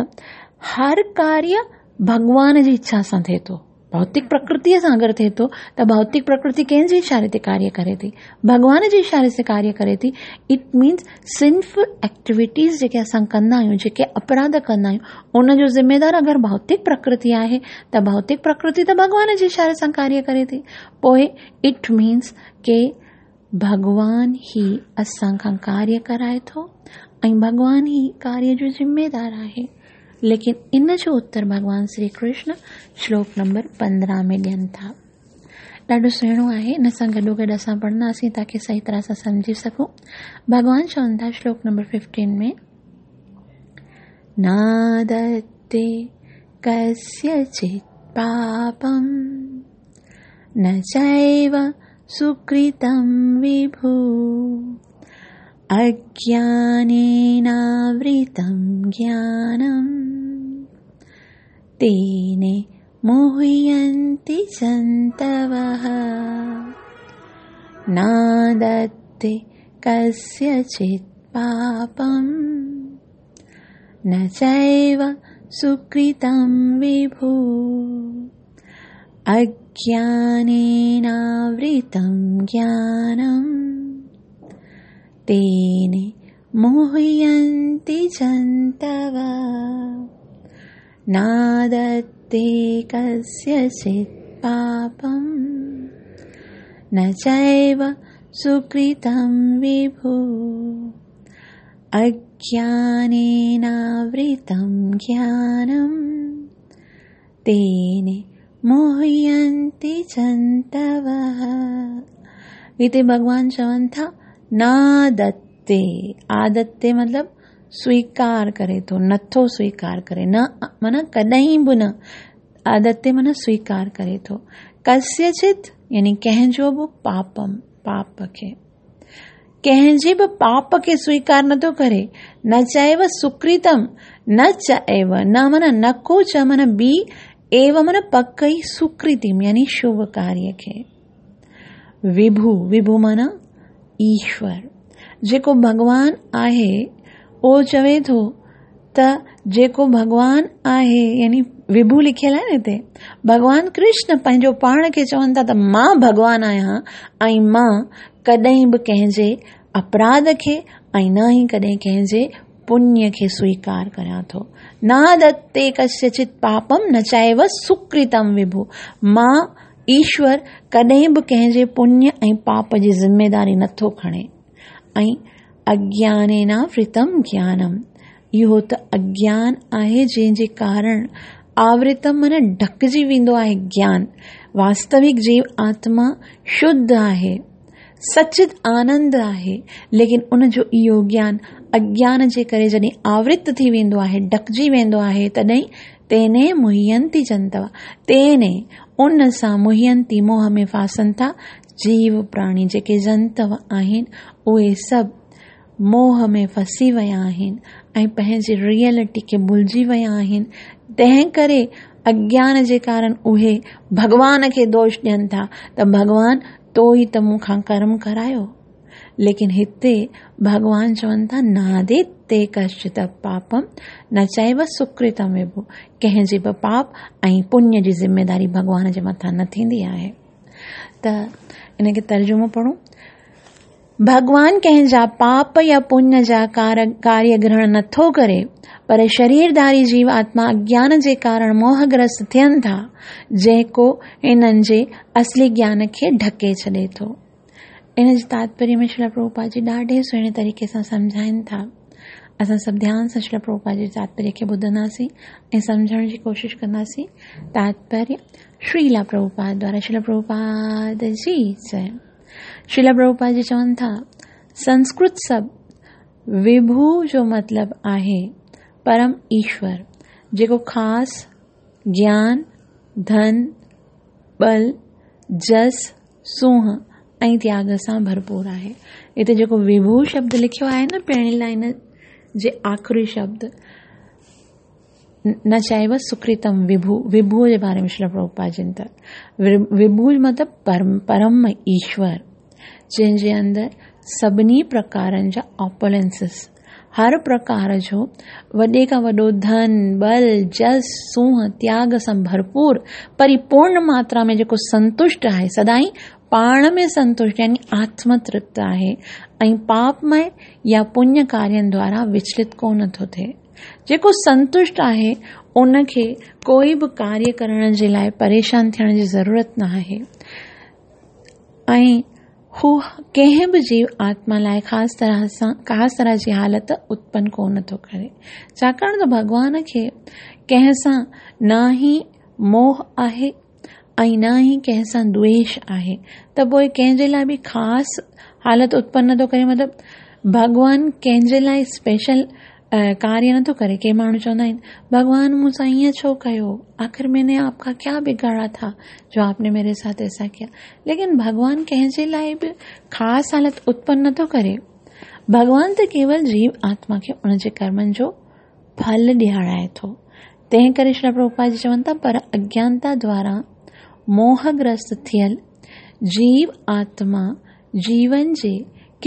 هر ڪاريه ڀڳوان جي اڇا سان ٿئي ٿو. ڀوتڪ پرڪرتيء سان اگر ٿئي ٿو ته ڀوتڪ پرڪرتي ڪنهن جي اشاري تي ڪاريه ڪري ٿي؟ ڀڳوان جي اشاري سان ڪاريه ڪري ٿي. It means sinful activities جيڪي اسان ڪندا آهيون، جيڪي اپراڌ ڪندا آهيون، ان جو ذميدار اگر ڀوتڪ پرڪرتي آهي ته ڀوتڪ پرڪرتي ته ڀڳوان جي اشاري سان ڪاريه ڪري ٿي. پوء it means ڪي ڀڳوان ئي اسان کان ڪاريه ڪرائي ٿو ۽ ڀڳوان ئي ڪاريه جو ذميدار آهي. ليڪن ان جو اتر ڀڳوان شري ڪرشن شلوڪ نمبر 15 ۾ ڏين ٿا. ڏاڍو سهڻو آهي، ان سان گڏو گڏ اسان پڙهنداسين تاڪي صحيح طرح سان سمجهي سگهون. ڀڳوان چون ٿا شلوڪ نمبر 15 ۾، نادتي ڪسيچت پاپم نه چيو سڪرتم وڀو اگيانيناورتم گيانم تين موهينتي جنتوه نادتي ڪسيچت پاپم نه چيو سڪرتم وڀو اگيانيناورتم گيانم تين موهينتي جنتوه نادتي ڪسيچت پاپم نه چيو سڪرتم وڀو اگيانيناورتم گيانم تين موهينتي جنتوه. هتي ڀڳوان چون ٿا نادتي، آدتي مطلب سويڪار ڪري ٿو، نٿو سويڪار ڪري، نه معنيٰ ڪڏهن به نه، آدتي معنيٰ سويڪار ڪري ٿو، ڪسيچت يعني ڪنهن جو به پاپم، پاپ کي، ڪنهن جي به پاپ کي سويڪار نٿو ڪري، نه چئيو سڪرتم، نه چئيو، نه معنيٰ نه ڪو، چ معنيٰ بي، ايو معنيٰ پڪ ئي، سڪرتم يعني شڀ ڪاريه کي. وڀو، وڀو معنيٰ ايشور، جيڪو ڀڳوان آهي اهو چوي ٿو ته ته جيڪو ڀڳوان آهي يعني وڀو لکيل آهي نه هتي ڀڳوان ڪرشن پنهنجو پاڻ کي چون ٿا ته مان ڀڳوان آهيان ۽ مان ڪڏهن به ڪنهن جي اپراڌ کي ۽ نه ئي ڪڏهن ڪنهن جي پڃ کي سويڪار ڪريان ٿو. نادتي ڪسيچت پاپم نه چائيو سڪرتم وڀو. مان، ايشور، ڪڏهن به ڪنهن جي پڃ ۽ پاپ جي ذميداري نٿو کڻي. ۽ اگيانيناورتم گيانم، اهو ته اگيان آهي جنهن جي ڪارڻ آورتم معنيٰ ڍڪجي ويندو آهي گيان. واستوڪ جيو آتما شڌ آهي. سچت آنند آهي، ليڪن ان جو اهو گيان اگيان جي ڪري جڏهن آورت ٿي ويندو آهي، ڍڪجي ويندو آهي، تڏهن تيني موهينتي جنتوا، تيني، ان سان موهينتي موهه ۾ ڦاسن ٿا، جيو پراڻي جيڪي جنتو آهن، اهي سڀ موهه ۾ ڦسي ويا آهن ۽ پنهنجي ريئلٽي کي ڀلجي ويا آهن، تنهن ڪري اگيان جي ڪارڻ اهي ڀڳوان کي دوش ڏين ٿا ته ڀڳوان تو ئي ته مون کان ڪرم ڪرايو. ليڪن هتي ڀڳوان چون ٿا ناديتي ڪشچت پاپم نه چئيو سڪرتم وڀو، ڪنهن جي به پاپ ۽ پڃ جي ذميداري ڀڳوان جي مٿان نه ٿيندي آهي. ته ان کي ترجمو پڙهون. ڀڳوان ڪنهن جا پاپ يا پڃ جا ڪاريه گرهڻ نٿو ڪري، پر شريرڌاري جيو آتما اگيان جي ڪارڻ موهگرست ٿين ٿا، جيڪو هنن جي اصلي گيان کي ڍڪي ڇڏي ٿو. ان جي تاتپريه ۾ شريلا پرڀوپاد جي ڏاڍي سهڻي طريقي سان سمجهائين ٿا. اسان سڀ ڌيان سان شريلا پرڀوپاد جي تاتپريه کي ٻڌنداسين ۽ سمجهڻ جي ڪوشش ڪنداسين. تاتپريه شريلا پرڀوپاد دوارا شريلا پرڀوپاد جي جئي. شريلا پرڀوپاد جي چون ٿا، سنسڪرت سب وڀو جو مطلب آهي پرم ايشور، جيڪو خاص گيان، ڌن، ٻل، جس، سونهن ۽ تياڳ سان ڀرپور آهي. هتي جيڪو وڀو شبد لکيو آهي نه پهرين لائن جي آخري شبد نه چئبو سڪرتم وڀو، وڀو جي باري ۾ شريلا پرڀوپاد جن ته وڀو مطلب پرم ايشور جنهن جي اندر سڀني پرڪارن جا آپولنسز هر پرڪار جو وڏي کان وڏو ڌن، ٻل، جس، سونهن، تياڳ سان ڀرپور پريپورڻ ماترا ۾ جيڪو سنتشٽ آهي، سدائين پاڻ ۾ سنتشٽ يعني آتم ترپت آهي ۽ پاپمئي يا پڃ ڪارين دوارا وچلت ڪونه ٿو ٿئي. جيڪو سنتشٽ آهي ان کي ڪوئي به ڪاريه ڪرڻ جي لاء پريشان ٿيڻ جي ضرورت نه آهي ۽ هو ڪنهن به جيو آتما لاء خاص طرح سان خاص طرح جي حالت اتپن ڪونه ٿو ڪري ڇاڪاڻ ته ڀڳوان کي ڪنهن سان نه ئي موهه آهي ۽ نه ئي ڪنهن سان دويش آهي ته پوء ڪنهن جي لاء به خاص حالت اتپن نٿو ڪري مطلب ڀڳوان ڪنهن جي لاء اسپيشل ڪاريه نٿو ڪري ڪي ماڻهو چوندا آهن ڀڳوان مون سان ائين ڇو ڪيو آخر مين ني آپ کا ڪيا بگاڙا ٿا جو آپ ني ميري ساٿ ايسا ڪيا ليڪن ڀڳوان ڪنهن جي لاء به خاص حالت اتپن نٿو ڪري ڀڳوان ته ڪيول جيو آتما کي ان جي ڪرمن جو ڦل ڏيارائي ٿو. تنهن ڪري شريلا پرڀوپاد جي چون ٿا پر اگيانتا دوارا موهگرست ٿيل جيو آتما جيون جي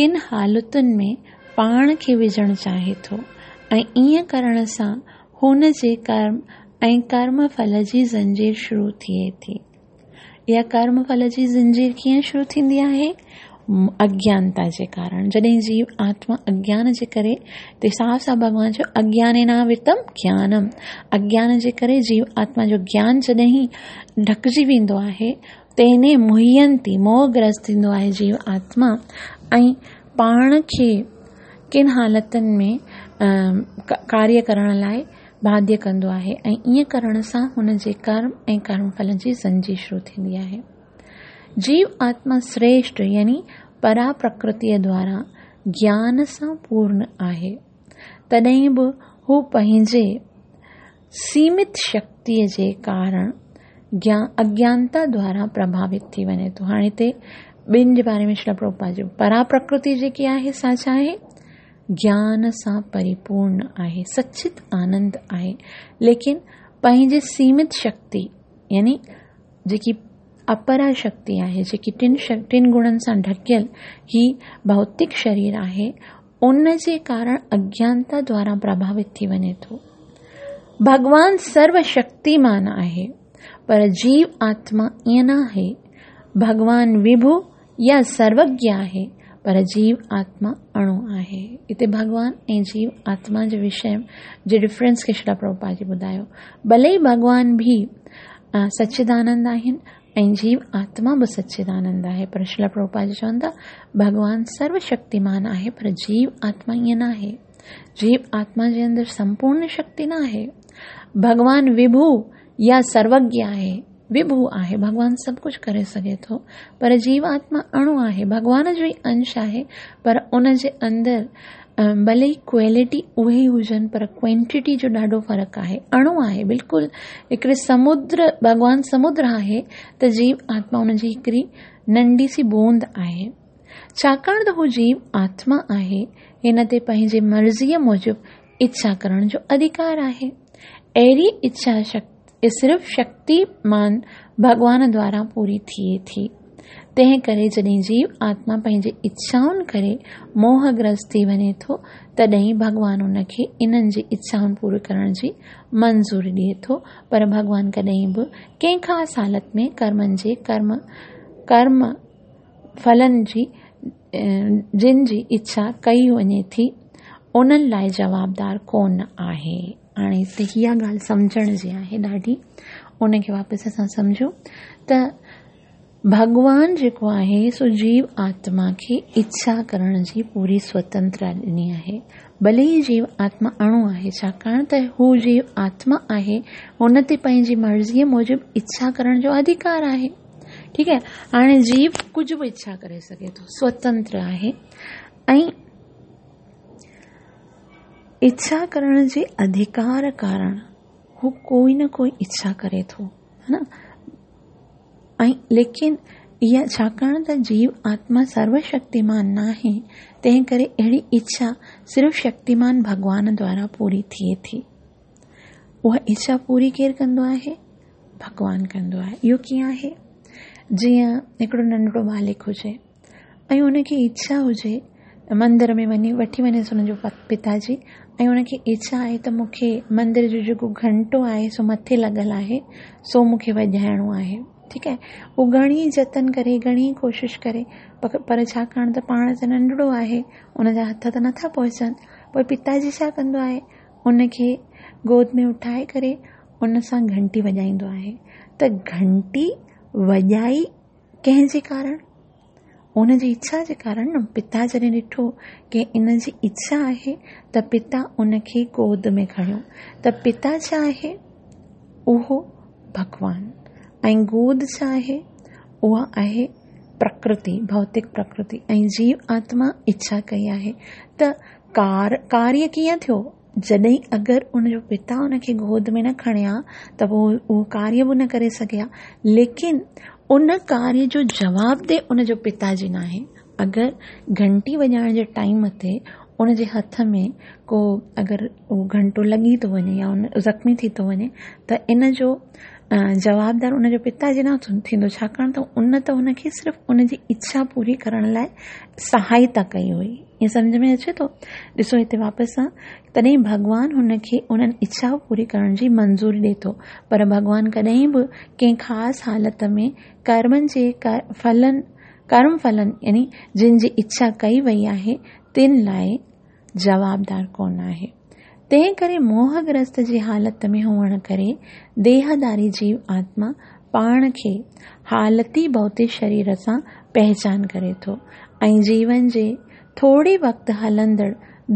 ڪن حالتن ۾ پاڻ کي وجهڻ چاهي ٿو ۽ ائين ڪرڻ سان هن جي ڪرم ۽ ڪرم ڦل جي زنجير شروع ٿئي ٿي. اها ڪرم ڦل جي زنجير ڪيئن شروع ٿيندي آهي؟ اگيانتا جي ڪارڻ. جڏهن جيو آتما اگيان جي ڪري تي صاف صاف ڀڳوان چيو اگيانيناورتم گيانم، اگيان جي ڪري جيو آتما جو گيان جڏهن ڍڪجي ويندو آهي تنهن موهينتي موهگرست ٿيندو آهي جيو آتما ۽ پاڻ کي ڪن حالتن ۾ ڪاريه ڪرڻ لاء باڌيه ڪندو آهي ۽ ائين ڪرڻ سان هن جي ڪرم ۽ ڪرم ڦل جي زنجير شروع ٿيندي آهي. جيو آتما سريشٽ يعني پرا پرڪرتيء دوارا گيان سان پورن آهي، تڏهن به هو پنهنجي سيمت شڪتيء جي ڪارڻ اگيانتا دوارا پرڀاوت ٿي وڃي ٿو. هاڻي هتي ٻن جي باري ۾ شريلا پرڀوپاد جو پرا پرڪرتي جيڪي آهي سا ڇا آهي؟ گيان سان پريپورڻ آهي، سچت آنند آهي، ليڪن پنهنجي سيمت شڪتي يعني جيڪي اپرا شڪتي آهي، جيڪي ٽن گڻن سان ڍڪيل هي ڀوتڪ شرير آهي، ان جي ڪارڻ اگيانتا دوارا پرڀاوت ٿي وڃي ٿو. ڀڳوان سرو شڪتيمان آهي، پر جيو آتما ائين نه آهي. ڀڳوان وڀو يا سروگيه آهي، پر جيو آتما اڻو آهي. هتي ڀڳوان ۽ جيو آتما جي وشي جي ڊفرنس کي شريلا پرڀوپاد جي ٻڌايو. ڀلي ئي ڀڳوان به سچدانند آهن ۽ جيو آتما به سچدانند آهي، پر شريلا پرڀوپاد جي چون ٿا ڀڳوان سرو شڪتيمان آهي، پر جيو آتما ائين نه آهي. جيو آتما جي اندر سمپورڻ شڪتي نه آهي. ڀڳوان وڀو يا سروگيه آهي، وڀو آهي، ڀڳوان سڀ ڪجهه ڪري سگهي ٿو، پر جيو آتما اڻو آهي، ڀڳوان جو ئي انش آهي، پر ان جي اندر ڀلي ئي ڪوالٽي اهي ئي هجن، پر ڪوانٽيٽي جو ڏاڍو فرق آهي، اڻو آهي، بلڪل هڪڙي سمدر، ڀڳوان سمدر آهي ته جيو آتما ان جي هڪڙي ننڍي سي بوند آهي. ڇاڪاڻ ته هو جيو آتما آهي، هن تي پنهنجي مرضيء موجب اڇا ڪرڻ جو اڌڪار آهي. اهڙي اڇا صرف شڪتيمان ڀڳوان دوارا پوري ٿئي ٿي. تنهن ڪري جڏهن جيو آتما پنهنجي اڇائن ڪري موهگرست ٿي وڃي ٿو، تڏهن ڀڳوان ان کي انهن جي اڇائن پوري ڪرڻ جي منظوري ڏئي ٿو، پر ڀڳوان ڪڏهن به ڪنهن خاص حالت ۾ ڪرمن جي ڪرم ڦلن جي جن جي اڇا ڪئي وڃي ٿي، انهن لاء جوابدار ڪونه آهي. هاڻي هتي اها ڳالهه سمجهڻ جي آهي ڏاڍي، ان کي واپس اسان سمجهون ته ڀڳوان جيڪو آهي سو جيو آتما کي اڇا ڪرڻ جي پوري سوتنترا ڏني آهي. ڀلي ئي جيو آتما اڻو آهي، ڇاڪاڻ ته هو جيو آتما آهي، هن تي پنهنجي مرضيء موجب اڇا ڪرڻ جو اڌڪار آهي. ٺيڪ آهي، هاڻي جيو ڪجهه به اڇا ڪري سگهي ٿو، سوتنتر آهي ۽ اڇا ڪرڻ جي اڌڪار ڪارڻ هو ڪوئي نه ڪوئي اڇا ڪري ٿو، ها نه؟ ۽ ليڪن اها ڇاڪاڻ ته جيو آتما سرو شڪتيمان ناهي، تنهن ڪري اهڙي اڇا صرف شڪتيمان ڀڳوان دوارا پوري ٿئي ٿي. اها اڇا پوري ڪير ڪندو آهي؟ ڀڳوان ڪندو آهي. اهو ڪيئن آهي؟ جيئن هڪڙو ننڍڙو ٻالڪ هجي ۽ ان کي اڇا هجي مندر ۾ وڃي وٺي وڃيس ان جو پتا جي ۽ ان کي اڇا آهي ته مون کي مندر جو جيڪو گهنٽو آهي سو مٿي لڳل آهي سو مون کي وڄائڻو آهي. ٺيڪ آهي، هو گهڻي جتن ڪري گهڻي ڪوشش ڪري پر ڇاڪاڻ ته پاڻ ته ننڍڙو آهي ان جا هٿ ته نٿا پهچن، پوء پتا جي ڇا ڪندو آهي ان کي گود ۾ اٺائي ڪري ان سان گهنٽي وڄائيندو آهي ته گهنٽي وڄائي ڪنهن جي ڪارڻ؟ ان جي اڇا جي ڪارڻ نه. پتا جڏهن ڏٺو ڪي ان جي اڇا آهي ته پتا ان کي گود ۾ کڻيو ته پتا ڇا آهي؟ اهو ڀڳوان. ۽ گود ڇا آهي؟ اها آهي پرڪرتي، ڀوتڪ پرڪرتي. ۽ جيو آتما اڇا ڪئي آهي ته ڪاريه ڪيئن ٿيو؟ جڏهن اگر ان جو پتا ان کي گود ۾ نه کڻي ها ته پوء اهو ڪاريه به نه ڪري سگهي ها، ليڪن ان ڪاريه جو جوابده ان جو پتا جي ناهي. اگر گهنٽي وڄائڻ جي ٽائيم تي ان جي هٿ ۾ ڪو اگر اهو گهنٽو لڳي ٿو وڃي يا ان زخمي ٿي ٿو وڃي ته ان جو جوابدار ان جو پتا جي نه ٿيندو، ڇاڪاڻ ته ان ته ان کي صرف ان جي اڇا پوري ڪرڻ لاء سهائتا ڪئي هئي. ائين سمجهه ۾ اچي ٿو؟ ڏسو هتي واپس سان تڏهن ڀڳوان هن کي انهن اڇا پوري ڪرڻ جي منظوري ڏئي ٿو، پر ڀڳوان ڪڏهن به ڪنهن خاص حالت ۾ ڪرمن جي ڦلن، ڪرم ڦلن يعني جن جي اڇا ڪئي وئي آهي تن لاء جوابدار ڪونه آهي. تنهن ڪري موهگرست جي حالت ۾ هئڻ ڪري ديهداري جيو آتما پاڻ کي حالتي ڀوتڪ شرير سان پهچان ڪري ٿو ۽ جيون جي ٿوري وقت هلندڙ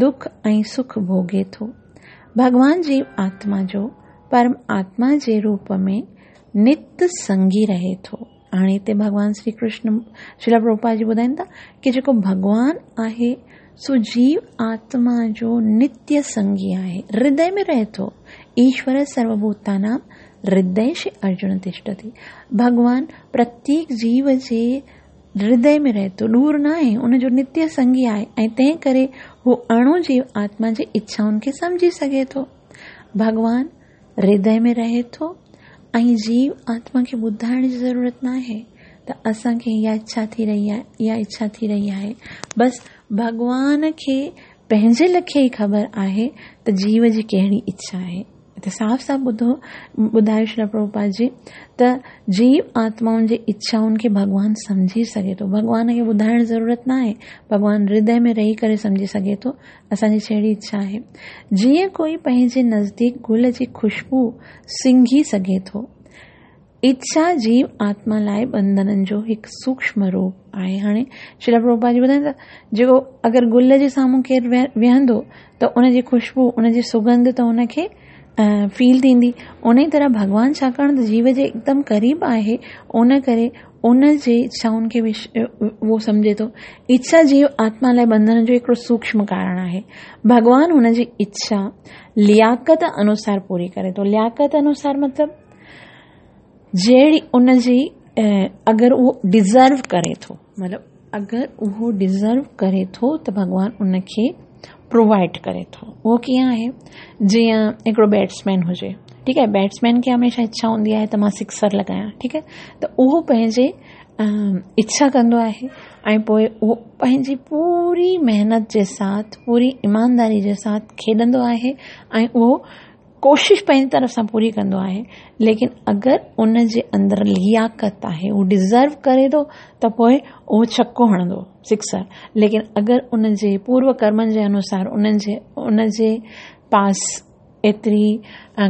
دک ۽ سک ڀوڳي ٿو. ڀڳوان جيو آتما جو پرم آتما جي روپ ۾ نت سنگي رهي ٿو. هاڻي هتي ڀڳوان شري ڪرشن شريلا پرڀوپاد جي ٻڌائين ٿا ڪي جيڪو ڀڳوان آهي سو جيو آتما جو نتيه سنگي آهي، هردي ۾ رهي ٿو. ايشور سروڀوتانام هرديش ارجن تشتتي. ڀڳوان پرتيڪ جيو جي هردي ۾ رهي ٿو، ڏور نه آهي، ان جو نتيه سنگي آهي ۽ تنهن ڪري هو اڻو جيو آتما جي اڇائن کي سمجهي سگهي ٿو. ڀڳوان هردي ۾ رهي ٿو ۽ جيو آتما کي ٻڌائڻ جي ضرورت ناهي ته اسان کي اها اڇا ٿي رهي آهي، اها اڇا ٿي رهي آهي. بس ڀڳوان کي पंहिंजे लखे ई ख़बर आहे त जीव जी कहिड़ी इच्छा आहे। हिते साफ़ साफ़ ॿुधायो श्रील प्रभुपाद जी त जीव आत्माउनि जे इच्छाउनि खे भॻवान सम्झी सघे थो। भॻवान खे ॿुधाइण ज़रूरत न आहे, भॻवान हृदय में रही करे सम्झी सघे थो असांजी कहिड़ी इच्छा आहे। जीअं कोई पंहिंजे नज़दीक गुल जी ख़ुशबू सिंघी सघे थो, इच्छा जीव आत्मा लाइ बंधननि जो हिकु सूक्ष्म रूप आहे। हाणे श्रील प्रभुपाद जी ॿुधाइनि था जेको अगरि गुल जे साम्हूं केरु वेहंदो त उनजी ख़ुशबू, उनजी सुगंध त उनखे फील थींदी। उन ई तरह भॻवान छाकाणि त जीव जे एकदम क़रीब आहे, उन करे उन जे इच्छाउनि खे उहो सम्झे थो। इच्छा जीव आत्मा लाइ बंधन जो हिकिड़ो सूक्ष्म कारण आहे। भॻवान हुनजी इच्छा लियाकत अनुसार पूरी करे थो। लियाकत अनुसार मतिलबु जहिड़ी उनजी अगरि उहो डिज़र्व करे थो, मतिलबु अगरि उहो डिज़र्व करे थो त भॻवान उनखे प्रोवाइड करे थो। उहो कीअं आहे? जीअं हिकिड़ो बैट्समैन हुजे, ठीकु आहे, बैट्समैन खे हमेशह इच्छा हूंदी आहे त मां सिक्सर लॻायां, ठीकु आहे, त उहो पंहिंजे इच्छा कंदो आहे ऐं पोइ उहो पंहिंजी पूरी महिनत जे साथ, पूरी ईमानदारी जे साथ खेॾंदो आहे ऐं उहो कोशिश पंहिंजी तरफ़ सां पूरी कंदो आहे। लेकिन अगरि उन जे अंदरि लियाकत आहे, उहो डिज़र्व करे थो त पोइ उहो छक्को हणंदो, सिक्सर। लेकिन अगरि उनजे पूर्व कर्मनि जे अनुसार उनजे पास एतिरी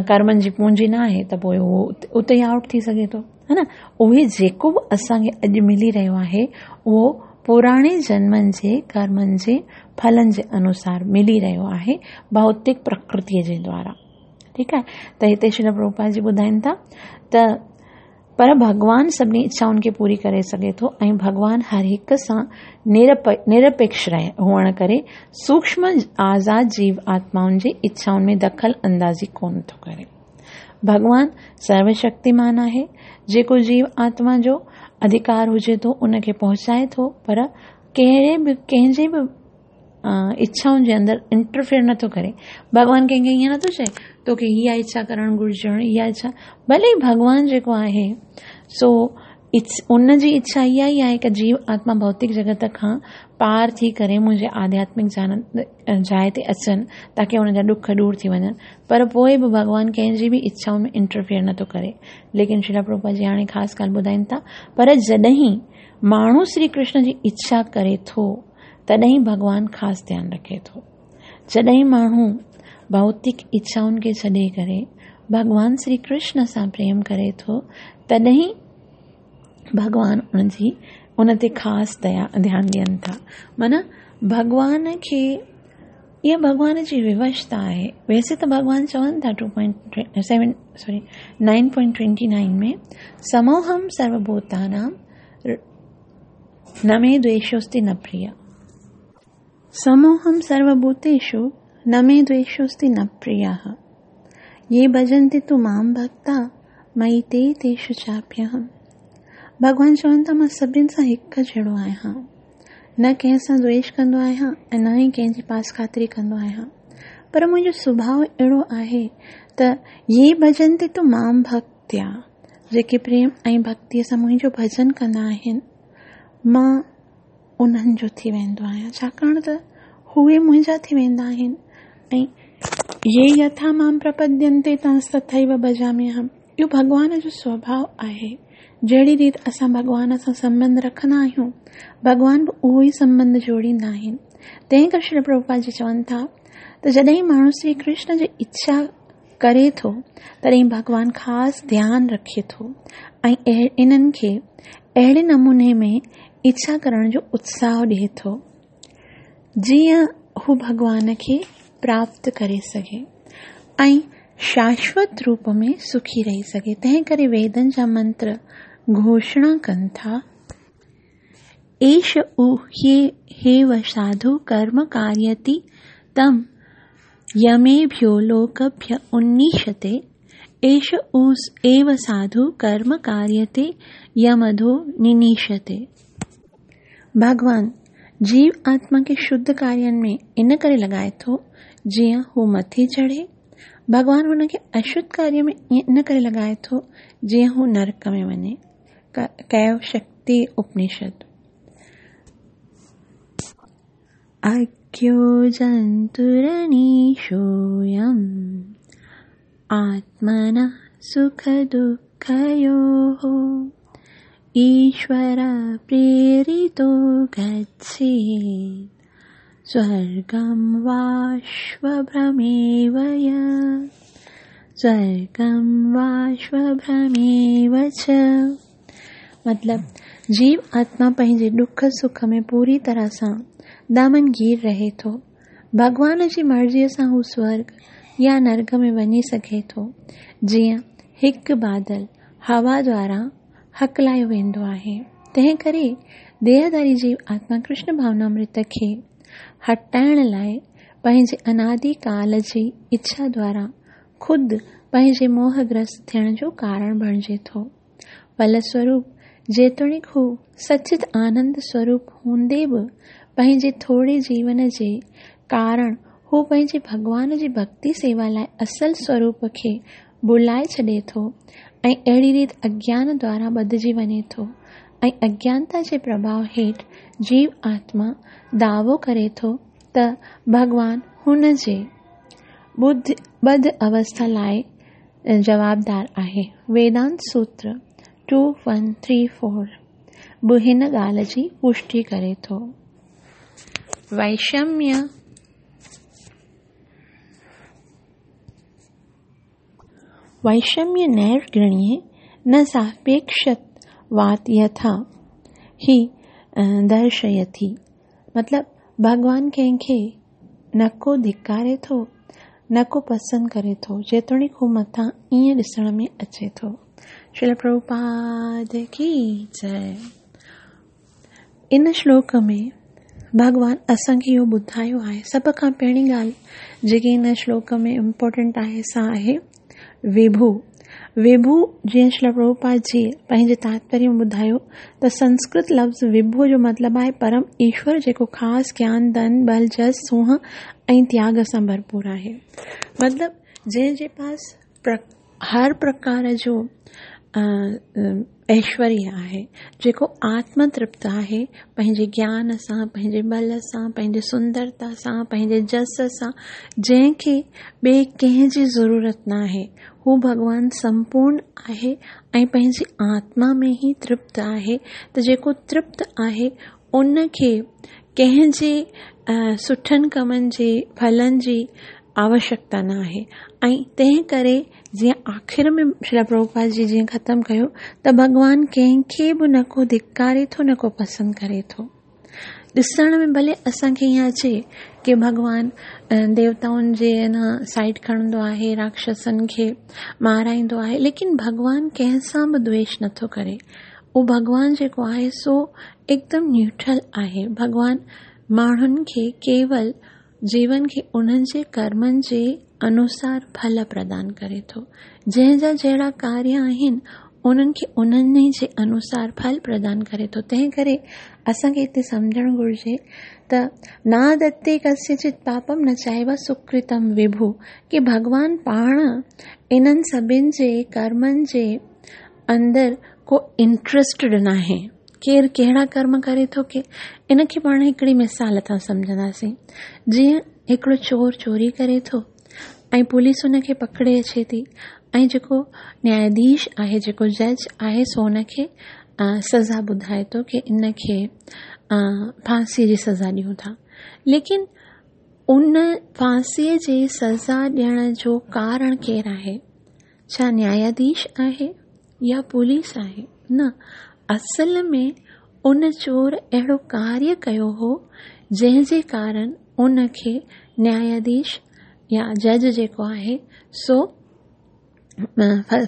कर्मनि जी पूंजी न आहे त पोइ उहो उते ई आउट थी सघे थो, हा न। उहे जेको बि असांखे अॼु मिली रहियो आहे उहो पुराणे जन्मनि जे कर्मनि जे फलनि जे अनुसार मिली रहियो आहे, भौतिक प्रकृतीअ जे द्वारा, ठीकु आहे। त हिते श्रील प्रभुपाद जी ॿुधाइनि था त पर भॻवान सभिनी इच्छाउनि खे पूरी करे सघे थो ऐं भॻवान हर हिक सां निरपेक्ष रहे हुअण करे सूक्ष्म आज़ाद जीव आत्माउनि जे इच्छाउनि में दख़ल अंदाज़ी कोन थो करे। भॻवान सर्वशक्तिमान आहे, जेको जीव आत्मा जो अधिकार हुजे थो उनखे पहुचाए थो, पर कहिड़े बि कंहिंजे बि इच्छाउनि जे अंदरि इंटरफेयर नथो करे। भॻवान कंहिंखे ईअं नथो चए तोखे इहा इच्छा करणु घुरिजे, इहा इच्छा, भले भॻवान जेको आहे सो उनजी इच्छा इहा ई आहे की जीव आत्मा भौतिक जगत खां पार थी करे मुंहिंजे आध्यात्मिक जाइ ते अचनि ताकी हुनजा ॾुख दूर थी वञनि, पर पोइ बि भॻवान कंहिंजी बि इच्छाउनि में इंटरफेयर नथो करे। लेकिन श्रील प्रभुपाद जी हाणे ख़ासि ॻाल्हि ॿुधाइनि था, पर जॾहिं माण्हू श्री कृष्ण जी इच्छा करे थो तॾहिं भॻवान ख़ासि ध्यानु रखे थो। जॾहिं माण्हू भौतिक इच्छाउनि खे छॾे करे भॻवान श्री कृष्ण सां प्रेम करे थो तॾहिं भॻवान उन ते ख़ासि दया ध्यानु ॾियनि था। माना भॻवान खे इहा भॻवान जी विवशता आहे। वैसे त भॻवान चवनि था 9.29 में समोहम सर्वभूतानां न मे द्वेषोऽस्ति न प्रिय, समोहम सर्वभूतेषु न मे द्वेषोऽस्ति न प्रियः, ये भजन्ति तु मां भक्ता मयि ते तेषु चाप्यहम्। भॻवान चवनि था मां सभिनी सां हिकु जहिड़ो आहियां, न कंहिं सां द्वेष कंदो आहियां ऐं न ई कंहिंजी पास ख़ातिरी कंदो आहियां, पर मुंहिंजो सुभाव अहिड़ो आहे त ये भजन्ति तु मां भक्त्या, जेके प्रेम ऐं भक्तीअ सां मुंहिंजो भजन कंदा आहिनि मां उन्हनि जो थी वेंदो आहियां, छाकाणि त उहे मुंहिंजा थी वेंदा आहिनि। ऐं ये यथा मां प्रपद्यन्ते तथैव भजाम्यहम्, इहो भॻवान जो स्वभाव आहे। जहिड़ी रीति असां भॻवान सां संबंध रखंदा आहियूं भॻवान बि उहो ई संबंध जोड़ींदा आहिनि। तंहिं करे श्री प्रभुपाद जी चवनि था त जॾहिं माण्हू श्री कृष्ण जी इच्छा करे थो तॾहिं भॻवान ख़ासि ध्यानु रखे थो ऐं इन्हनि खे अहिड़े नमूने में इच्छा करण जो उत्साह ॾिए थो जीअं हू भॻवान खे प्राप्त करे सघे ऐं शाश्वत रूप में सुखी रही सघे। तंहिं करे वेदनि जा मंत्र घोषणा कनि था, एष ह्येव साधु कर्म कारयति तं यमेभ्यो लोकभ्य उन्नीषते, एष एव साधु कर्म कारयते यमधो निनीषते। भॻवान जीव आत्मा खे शुद्ध कार्यनि में इन करे लॻाए थो जीअं हू मथे चढ़े। भॻवान हुनखे अशुद्ध कार्य में इन करे लॻाए थो जीअं हू नरक में वञे। कैव शक्ति उपनिषद। मुख्यो जन्तुरनीशोऽयम् आत्मनः सुखदुःखयोः ईश्वरप्रेरितो गच्छेत् स्वर्गं वाश्वभ्रमेव यत् स्वर्गं वाश्वभ्रमेव च। मतिलबु जीव आत्मा पंहिंजे ॾुख सुख में पूरी तरह सां दामनगीर रहे थो। भॻवान जी मर्ज़ीअ सां हू स्वर्ग या नरक में वञी सघे थो, जीअं हिकु बादल हवा द्वारा हकलायो वेंदो आहे। तंहिं करे देहधारी जीव आत्मा कृष्ण भावनामृत खे हटाइण लाइ पंहिंजे अनादिकाल जी इच्छा द्वारा ख़ुदि पंहिंजे मोहग्रस्त थियण जो कारण बणिजे थो। फलस्वरूप जेतोणीकि हू सचित आनंद स्वरूप हूंदे बि पंहिंजे थोरे जीवन जे कारण हू पंहिंजे भॻवान जी भक्ति सेवा लाइ असल स्वरूप खे भुलाए छॾे थो ऐं अहिड़ी रीति अज्ञान द्वारा ॿधिजी वञे थो ऐं अज्ञानता जे प्रभाव हेठि जीव आत्मा दावो करे थो त भॻवान हुन जे ॿध अवस्था लाइ जवाबदार आहे। वेदांत सूत्र 2134 बि हिन ॻाल्हि जी पुष्टि करे थो। वैषम्य नैर्गण्ये न सापेक्षवात् यथा ही दर्शयति। मतिलबु भॻवान कंहिंखे न को धिकारे थो न को पसंदि करे थो, जेतोणीकि हू मथां ईअं ॾिसण में अचे थो। श्रील प्रभुपाद की जय। इन श्लोक में भॻवान असांखे इहो ॿुधायो आहे। सभ खां पहिरीं ॻाल्हि जेकी हिन श्लोक में इम्पोर्टेंट आहे सा आहे विभू। विभू जीअं श्रील प्रभुपाद जी पंहिंजे तात्पर्य में ॿुधायो त संस्कृत लफ़्ज़ विभू जो मतिलबु आहे परम ईश्वर, जेको ख़ासि ज्ञान, धन, बल, जस, सूंहं ऐं त्याग सां भरपूर आहे। मतिलबु जंहिंजे पास हर प्रकार जो ऐश्वर्य आहे, जेको आत्मतृप्त आहे, पंहिंजे ज्ञान सां, पंहिंजे बल सां, पंहिंजे सुंदरता सां, पंहिंजे जस सां, जंहिंखे ॿिए कंहिंजी ज़रूरत न आहे, हू भॻवान संपूर्ण आहे ऐं पंहिंजी आत्मा में ई तृप्त आहे। त जेको तृप्त आहे उनखे कंहिंजे सुठनि कमनि जे फलनि जी आवश्यकता न आहे। ऐं तंहिं करे जीअं आख़िर में श्रील प्रभुपाद जी जीअं ख़तमु कयो त भॻवान कंहिंखे बि न को धिकारे थो न को पसंदि करे थो। ॾिसण में भले असांखे ईअं अचे की भॻवान देवताउनि जे न साइड खणंदो आहे, राक्षसनि खे माराईंदो आहे, लेकिन भॻवान कंहिं सां बि द्वेष नथो करे। उहो भॻवान जेको आहे सो एकदम न्यूट्रल आहे। भॻवान माण्हुनि खे केवल जीवन खे उन्हनि जे कर्मनि जे अनुसार फल प्रदान करे थो। जंहिंजा जहिड़ा कार्य आहिनि उन्हनि खे उन्हनि जे अनुसार फल प्रदान करे थो। तंहिं करे असांखे हिते सम्झणु घुर्जे त ना दत्ते कस्यचित् पापम न चाइव सुकृतम विभु, की भॻवान पाण इन्हनि सभिनि जे कर्मनि जे अंदरि को इंट्रस्टेड न आहे। केरु कहिड़ा कर्म करे थो के इनखे पाण हिकिड़ी मिसाल थां सम्झंदासीं। जीअं हिकिड़ो चोर चोरी करे थो ऐं पुलिस हुनखे पकड़े अचे थी ऐं जेको न्यायाधीश आहे, जेको जज आहे, सो हुनखे सज़ा ॿुधाए थो की इनखे फांसीअ जी सज़ा ॾियूं था। लेकिन उन फांसीअ जी सज़ा ॾियण जो कारण केरु आहे? छा न्यायाधीश आहे या पुलिस आहे? न, असल में उन चोर अहिड़ो कार्य कयो हो जंहिंजे कारण उनखे न्यायाधीश या जज जेको आहे सो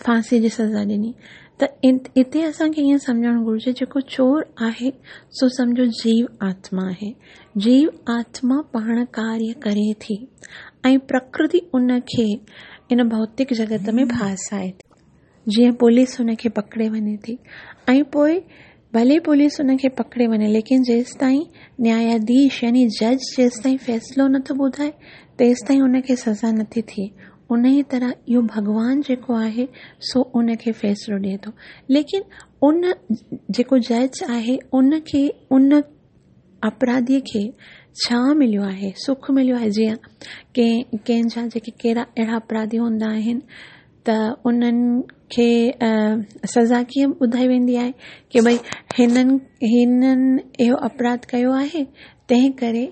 फांसीअ जी सज़ा ॾिनी। त हिते असांखे ईअं सम्झणु घुर्जे जेको चोर आहे सो सम्झो जीव आत्मा आहे। जीव आत्मा पाण कार्य करे थी ऐं प्रकृति उनखे इन भौतिक जगत में फासाए थी। जीअं पुलिस हुनखे पकड़े वञे थी ऐं पोइ भले पुलिस हुनखे पकड़े वञे, लेकिन जेसिताईं न्यायाधीश यानी जज जेसिताईं फ़ैसिलो नथो ॿुधाए तेसिताईं हुनखे सज़ा नथी थिए। उन ई तरह इहो भॻवान जेको आहे सो उनखे फ़ैसिलो ॾिए थो। लेकिन उन जेको जज आहे उनखे उन अपराधीअ खे ڇا مليو آهي؟ سک مليو آهي جيئن ڪنهن ڪنهن جا جيڪي ڪهڙا اهڙا اپراڌي هوندا آهن ته انهن کي سزا ڪيئن ٻڌائي ويندي آهي ڪي ڀئي هنن هنن اهو اپراڌ ڪيو آهي تنهن ڪري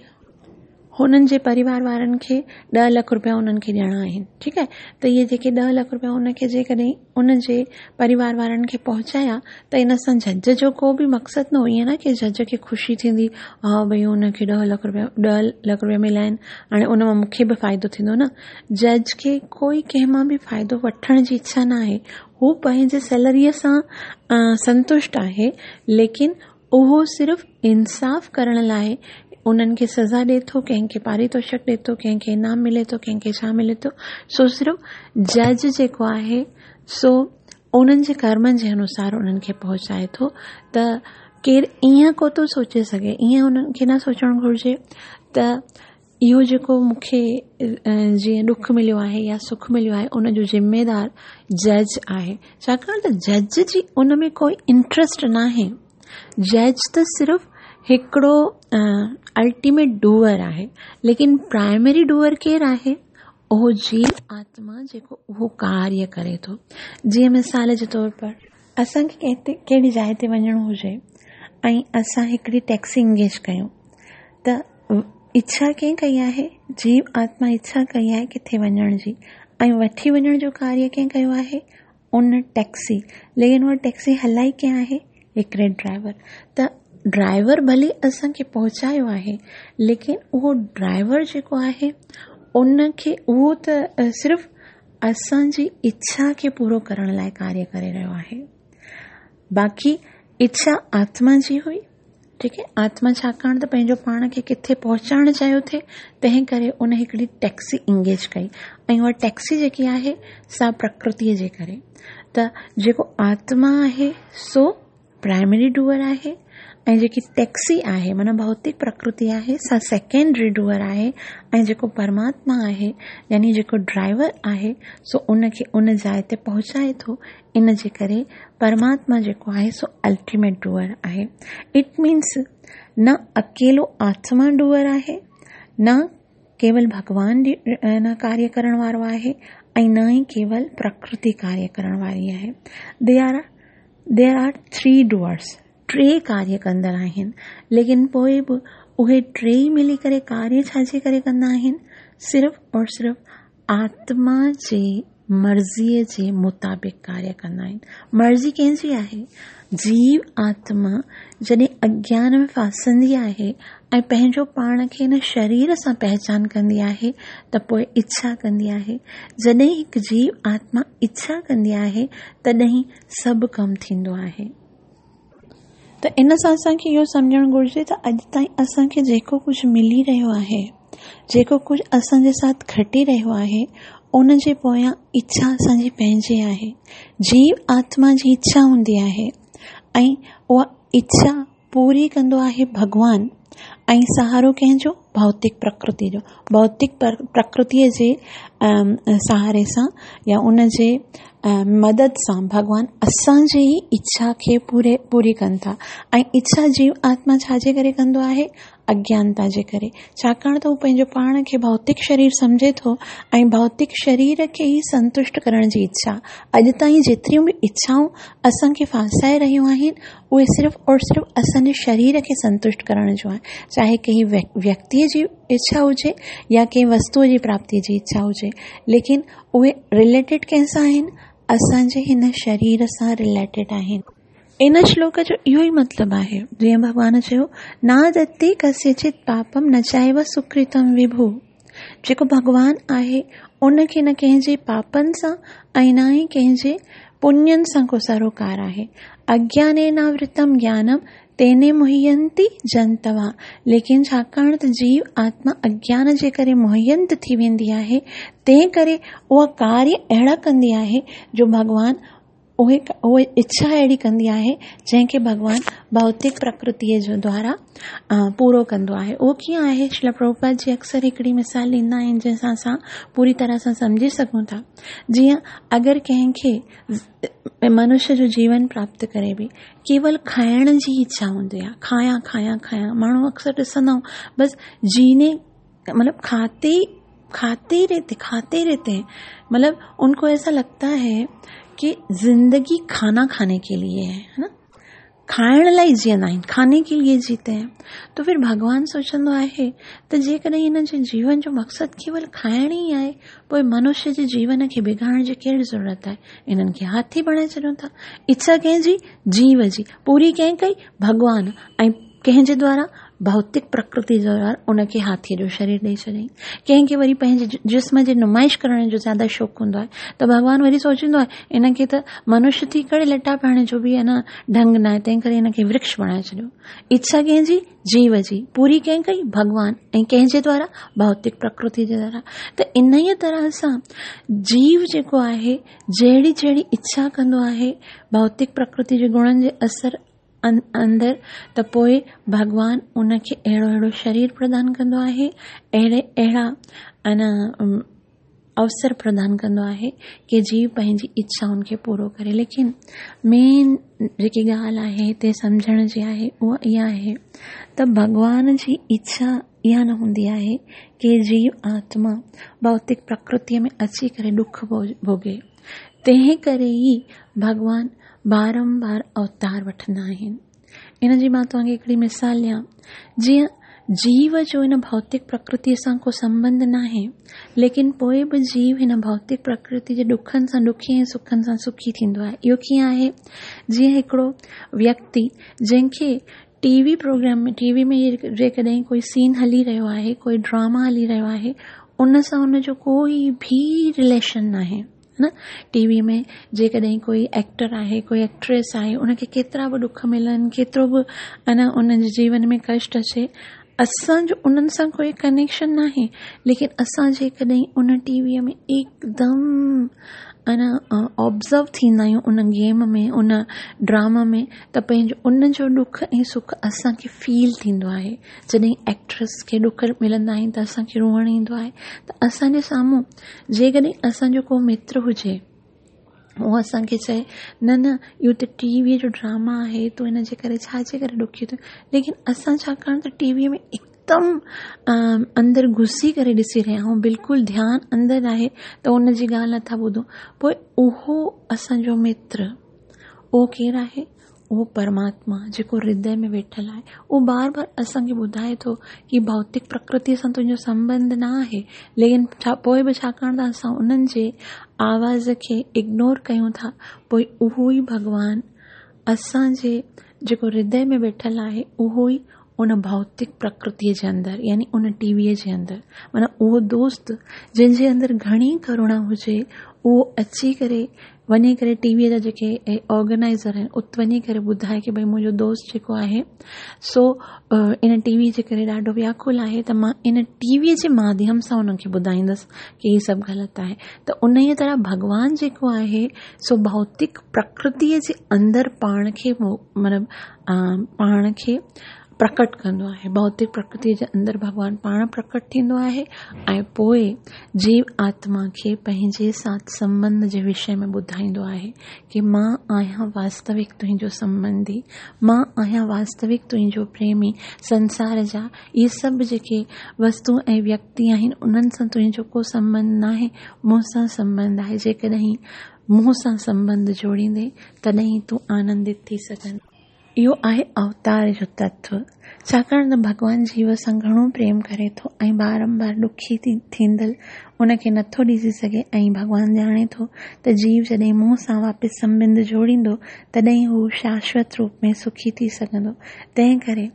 هنن جي پريوار وارن کي ڏهه لک روپيا انهن کي ڏيڻا آهن ٺيڪ آهي ته اهي جيڪي ڏهه لک روپيا ان کي جيڪڏهن ان جي پريوار وارن کي پهچايا ته ان سان جج جو ڪو به مقصد نه هو ائين نه ڪي جج کي خوشي ٿيندي ها ڀئي ان کي ڏهه لک روپيا ڏهه لک روپيا مليا آهن هاڻي ان مان مون کي به فائدو ٿيندو نه جج کي ڪوئي ڪنهن مان به فائدو وٺڻ جي اڇا نه آهي هو پنهنجي سيلريء سان سنتشٽ آهي ليڪن اهو صرف انصاف ڪرڻ لاء انهن کي سزا ڏئي ٿو، ڪنهن کي پاريتوشڪ ڏئي ٿو، ڪنهن کي انعام ملي ٿو، ڪنهن کي ڇا ملي ٿو، سو صرف جج جيڪو آهي سو انهن جي ڪرمن جي انوسار انهن کي پهچائي ٿو ته ڪير ائين ڪو ٿو سوچي سگهي ائين انهن کي نه سوچڻ گهرجي ته اهو جيڪو مون کي جيئن ڏک مليو آهي يا سک مليو آهي ان جو ذميدار جج آهي ڇاڪاڻ ته جج جي ان ۾ ڪوئي انٽرسٽ ناهي جج ته صرف هڪڙو الٽيميٽ ڊوئر آهي ليڪن پرائمري ڊوئر ڪير آهي اهو جيو آتما جيڪو اهو ڪاريه ڪري ٿو جيئن مثال جي طور پر اسان کي ڪنهن تي ڪهڙي جاء تي وڃڻو هجي ۽ اسان هڪڙي ٽيڪسي انگيج ڪيون ته اڇا ڪنهن ڪئي آهي؟ جيو آتما اڇا ڪئي آهي ڪٿي وڃڻ جي ۽ وٺي وڃڻ جو ڪاريه ڪنهن ڪيو آهي؟ ان ٽيڪسي ليڪن اها ٽيڪسي هلائي ڪنهن آهي؟ هڪڙي ڊرائيور ته ڊرائيور ڀلي اسان کي پهچايو آهي ليڪن اهو ڊرائيور جيڪو آهي ان کي اهو ته صرف اسان جي اڇا کي پورو ڪرڻ لاء ڪاريه ڪري رهيو آهي باقي اڇا آتما جي هئي ٺيڪ آهي آتما ڇاڪاڻ ته پنهنجو پاڻ کي ڪٿي پهچائڻ چاهيو ٿي تنهن ڪري ان هڪڙي ٽيڪسي انگيج ڪئي ۽ اها ٽيڪسي جيڪي آهي سا پرڪرتيء جي ڪري ته جيڪو آتما آهي سو پرائمري ڊوئر آهي ۽ جيڪي ٽيڪسي آهي معنيٰ ڀوتڪ پرڪرتي آهي سا سيڪنڊري ڊوئر آهي ۽ جيڪو پرماتما آهي يعني جيڪو ڊرائيور آهي سو ان کي ان جاء تي پهچائي ٿو ان جي ڪري پرماتما جيڪو آهي سو الٽيميٽ ڊوئر آهي. It means نه اڪيلو آتما ڊوئر آهي، نه ڪيول ڀڳوان نه ڪاريه ڪرڻ وارو آهي ۽ نه ئي ڪيول پرڪرتي ڪاريه ڪرڻ واري آهي. There are there are three doers ٽي ڪاريه ڪندڙ آهن ليڪن پوء به اهي ٽيئي ملي ڪري ڪاريه ڇا جي ڪري ڪندا آهن؟ صرف اور صرف آتما جي مرضيء جي مطابق ڪاريه ڪندا آهن. مرضي ڪنهن جي آهي؟ جيو آتما جڏهن اگيان ۾ ڦاسندي آهي ۽ پنهنجو پاڻ کي هن شرير سان پهچان ڪندي آهي ته پوء اڇا ڪندي آهي. جڏهن هڪ جيو آتما اڇا ڪندي آهي تڏهن سڀ ڪم ٿيندو آهي. ته ان سان اسان کي اهو سمجهڻ گهرجي ته اڄ تائين اسان کي جيڪو ڪجهه ملي رهيو آهي، جيڪو ڪجهه اسان جي ساٿ گهٽي رهيو آهي، ان جي پويان اڇا اسان جي پنهنجي آهي. جيو آتما جي اڇا هوندي آهي ۽ اها اڇا پوري ڪندو آهي ڀڳوان ۽ سهارو ڪنهن جو؟ ڀوتڪ پرڪرتي جو. ڀوتڪ پرڪرتيء جي سهاري سان يا ان جي مدد سان ڀڳوان اسان جي ئي اڇا کي پوري پوري ڪن ٿا ۽ اڇا جيو آتما ڇا جي ڪري ڪندو آهي؟ اگيانتا جي ڪري. ڇاڪاڻ ته هو پنهنجو پاڻ کي ڀوتڪ شرير سمجهي ٿو ۽ ڀوتڪ شرير کي ئي سنتشٽ ڪرڻ جي اڇا. اڄ تائين جيتريون به اڇائون اسان کي ڦاسائي رهيون آهن اهي صرف اور صرف اسان جي شرير کي سنتشٽ ڪرڻ جون آهن. چاهي ڪنهن ويڪتيء جي اڇا هجي يا ڪنهن وستوء جي پراپتيء جي اڇا هجي ليڪن اهي رليٽيڊ ڪنهن سان آهن؟ اسان جي هن شرير سان رليٽيڊ آهن. ان شلوڪ جو اهو ئي مطلب آهي. جيئن ڀڳوان چيو، نادتي ڪسيچت پاپم نه چائيو سڪرتم وڀو. جيڪو ڀڳوان آهي ان کي نه ڪنهن جي پاپن سان ۽ نه ئي ڪنهن جي پڃن سان ڪو سروڪار آهي. اگيانيناورتم گيانم تيني موهينتي جنتوا ليڪن ڇاڪاڻ ته جيو آتما اگيان جي ڪري موهينت ٿي ويندي آهي تنهن ڪري اها ڪاريه اهڙا ڪندي آهي جو ڀڳوان اهي اهي اڇا اهڙي ڪندي آهي جنهن کي ڀڳوان ڀوتڪ پرڪرتيء جو دوارا پورو ڪندو آهي اهو ڪيئن آهي شريلا پرڀوپاد جي اڪثر هڪڙي مثال ڏيندا آهن جنهن سان اسان پوري طرح سان سمجهي سگهون ٿا جيئن اگر ڪنهن کي منشيه جو جيون پراپت ڪري به ڪيول کائڻ جي اڇا هوندي آهي کايان کايان کايان ماڻهو اڪثر ڏسندا آهيون بس جيني مطلب کاتي کاتي رهتي کاتي رهتي هين مطلب ان ڪو ايسا لگتا هي ڪي زندگي کانا کاني ڪي ليي هي ها نه کائڻ لاء جيئندا آهن کاني ڪي ليي جيتي هين تو ڦر ڀڳوان سوچندو آهي ته جيڪڏهن هن جي جيون جو مقصد ڪيول کائڻ ئي آهي پوء منشيه جي جيون کي بگاڙڻ جي ڪهڙي ضرورت آهي انهن کي هاٿي بڻائي ڇڏيون ٿا اڇا ڪنهن جي جيو جي پوري ڪنهن ڪئي ڀڳوان ۽ ڪنهن جي دوارا؟ ڀوتڪ پرڪرتي جي دوارا ان کي هاٿيء جو شرير ڏئي ڇڏيائين. ڪنهن کي وري پنهنجي جسم جي نمائش ڪرڻ جو زياده شوق هوندو آهي ته ڀڳوان وري سوچيندو آهي ان کي ته منشيه ٿي ڪري لٽا پائڻ جو به اڃا ڍنگ ناهي تنهن ڪري ان کي ورڪش بڻائي ڇڏيو. اڇا ڪنهن جي؟ جيو جي. پوري ڪنهن ڪئي؟ ڀڳوان. ۽ ڪنهن جي دوارا؟ ڀوتڪ پرڪرتي جي دوارا. ته انهيء طرح سان جيو جيڪو آهي جهڙي جهڙي اڇا ڪندو آهي ڀوتڪ پرڪرتي جي گڻن جي اثر اندر ته پوء ڀڳوان ان کي اهڙو اهڙو شرير پردان ڪندو آهي اهڙي اهڙا ان اوسر پردان ڪندو آهي ڪي جيو پنهنجي اڇائن کي پورو ڪري ليڪن مين جيڪي ڳالهه آهي هتي سمجهڻ جي آهي اها اها آهي ته ڀڳوان جي اڇا اها نه هوندي آهي ڪي جيو آتما ڀوتڪ پرڪرتيء ۾ اچي ڪري ڏک ڀوڳي تنهن ڪري ئي ڀڳوان بارمبار اوتار وٺندا آهن. ان جي مان توهان کي هڪڙي مثال ڏيان، جيئن جيو جو هن ڀوتڪ پرڪرتيء سان ڪو سنٻنڌ ناهي، ليڪن پوء به جيو هن ڀوتڪ پرڪرتي جي ڏکن سان ڏکي ۽ سکن سان سکي ٿيندو آهي. اهو ڪيئن آهي؟ جيئن هڪڙو ويڪتي جنهن کي ٽي وي پروگرام ۾ ٽي وي ۾ جيڪڏهن ڪوئي سين هلي رهيو آهي، ڪوئي ڊراما هلي رهيو آهي، ان سان ان جو ڪوئي به رليشن ناهي. نه ٽي وي ۾ جيڪڏهن ڪوئي ايڪٽر آهي ڪوئي ايڪٽريس آهي ان کي ڪيترا به ڏک ملن ڪيترو به انا ان جي جيون ۾ ڪشٽ اچي اسان جو انهن سان ڪوئي ڪنيڪشن ناهي ليڪن اسان جيڪڏهن ان ٽي ويء ۾ هڪدم انا آبزرو ٿيندا آهيون ان گيم ۾ ان ڊراما ۾ ته پنهنجو ان جو ڏک ۽ سک اسان کي فيل ٿيندو آهي جڏهن ايڪٽريس کي ڏک ملندا آهن ته اسان کي روئڻ ايندو آهي ته اسان جي سامهون جيڪڏهن اسان جو ڪو متر هجي اهو اسان کي چئي نه نه اهو ته ٽي ويء جو ڊراما آهي تون ان جي ڪري ڇا جي ڪري ڏکي ٿو ليڪن اسان ڇاڪاڻ ته ٽي ويء ۾ هڪدم اندر گهسي ڪري ڏسي رهيا آهيون بلڪل ڌيان اندر آهي ته ان جي ڳالهه نٿا ٻڌون پوء اهو اسان جو متر اهو ڪير آهي اهو پرماتما جيڪو هردي ۾ ويٺل آهي اهو بار بار اسان کي ٻڌائي ٿو ڪي ڀوتڪ پرڪرتي سان تنهنجو سنٻنڌ نه آهي ليڪن ڇا پوء به ڇاڪاڻ ته اسان انهن جي آواز کي اگنور ڪيون ٿا پوء اهو ئي ڀڳوان اسان جي جيڪو هردي ۾ ويٺل آهي اهو ئي ان ڀوتڪ پرڪرتيء جي اندر يعني ان ٽي ويء جي اندر معنيٰ اهو دوست جنهن جي اندر گهڻي ڪروڻا هجي اهو اچي ڪري وڃي ڪري ٽي ويء جا جيڪي آرگنائيزر آهن ات وڃي ڪري ٻڌائي ڪي ڀئي منهنجو دوست جيڪو آهي سو ان ٽي وي جي ڪري ڏاڍو وياڪل آهي ته مان ان ٽي ويء جي ماڌيم سان انهن کي ٻڌائيندس ڪي هي سڀ غلط آهي ته انهيء طرح ڀڳوان جيڪو آهي سو ڀوتڪ پرڪرتيء جي اندر پاڻ کي مطلب پاڻ کي پرڪٽ ڪندو آهي ڀوتڪ پرڪرتيء جي اندر ڀڳوان پاڻ پرڪٽ ٿيندو آهي ۽ پوء جيو آتما کي پنهنجي ساٿ سنٻنڌ جي وشي ۾ ٻڌائيندو آهي ڪي مان آهيان واستوڪ تنهنجو سنٻنڌي مان آهيان واستوڪ تنهنجو پريمي سنسار جا اهي سڀ جيڪي وستو ۽ ويڪتي آهن انهن سان تنهنجو ڪو سنٻنڌ ناهي مون سان سنٻنڌ آهي جيڪڏهن مون سان سنٻنڌ جوڙيندين تڏهن ئي تون آنندت ٿي سگهندين. اهو آهي اوتار جو تتو. ڇاڪاڻ ته ڀڳوان جيو سان گهڻو پريم ڪري ٿو ۽ بارمبار ڏکي ٿيندل ان کي نٿو ڏسي سگهي ۽ ڀڳوان ڄاڻي ٿو ته جيو جڏهن مون سان واپس سنٻنڌ جوڙيندو تڏهن ئي هو شاشوت روپ ۾ سکي ٿي سگهندو. تنهن ڪري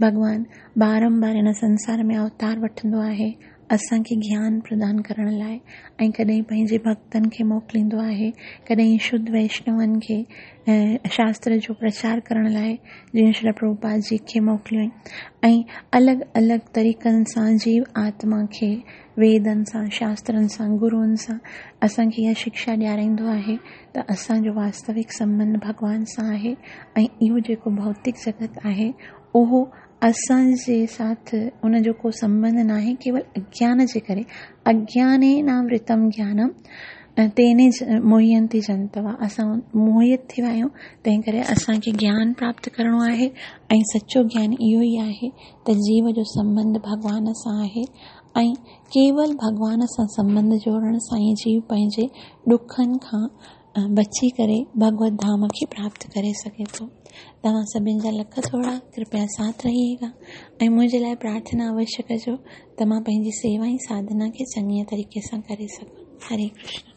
ڀڳوان بارمبار هن سنسار ۾ اوتار وٺندو آهي. اسان کي گيان پردان ڪرڻ لاءِ ۽ ڪڏهن پنهنجي ڀڪتن کي موڪليندو آهي، ڪڏهن شڌ ويشنون کي شاستر جو پرچار ڪرڻ لاءِ جيئن شريل پرڀوپاد جي کي موڪليائين ۽ الڳ الڳ طريقن سان جيو آتما کي ويدن سان، شاسترن سان، گروئن سان اسان کي اها شڪشا ڏيارائيندو آهي ته اسان جو واستوڪ سنٻنڌ ڀڳوان سان آهي ۽ اهو جيڪو ڀوتڪ جڳت آهي اهو اسان جي ساٿ ان جو ڪو سنٻنڌ ناهي ڪيول اگيان جي ڪري اگيانيناورتم گيانم تين موهينتي جنتوا اسان موهت ٿي ويا آهيون تنهن ڪري اسان کي گيان پراپت ڪرڻو آهي ۽ سچو گيان اهو ئي آهي ته جيو جو سنٻنڌ ڀڳوان سان آهي ۽ ڪيول ڀڳوان سان سنٻنڌ جوڙڻ سان ئي جيو پنهنجي ڏکن کان بچي ڪري ڀڳوت ڌام کي پراپت ڪري سگهي ٿو. توهان سڀن جا لک ٿورا ڪرپيا ساٿ رهيگا ۽ منهنجي لاء پرارٿنا اوشيه ڪجو ته مان پنهنجي سيوا ۽ ساڌنا کي چڱي طريقي سان ڪري سگهان. هري ڪرشن.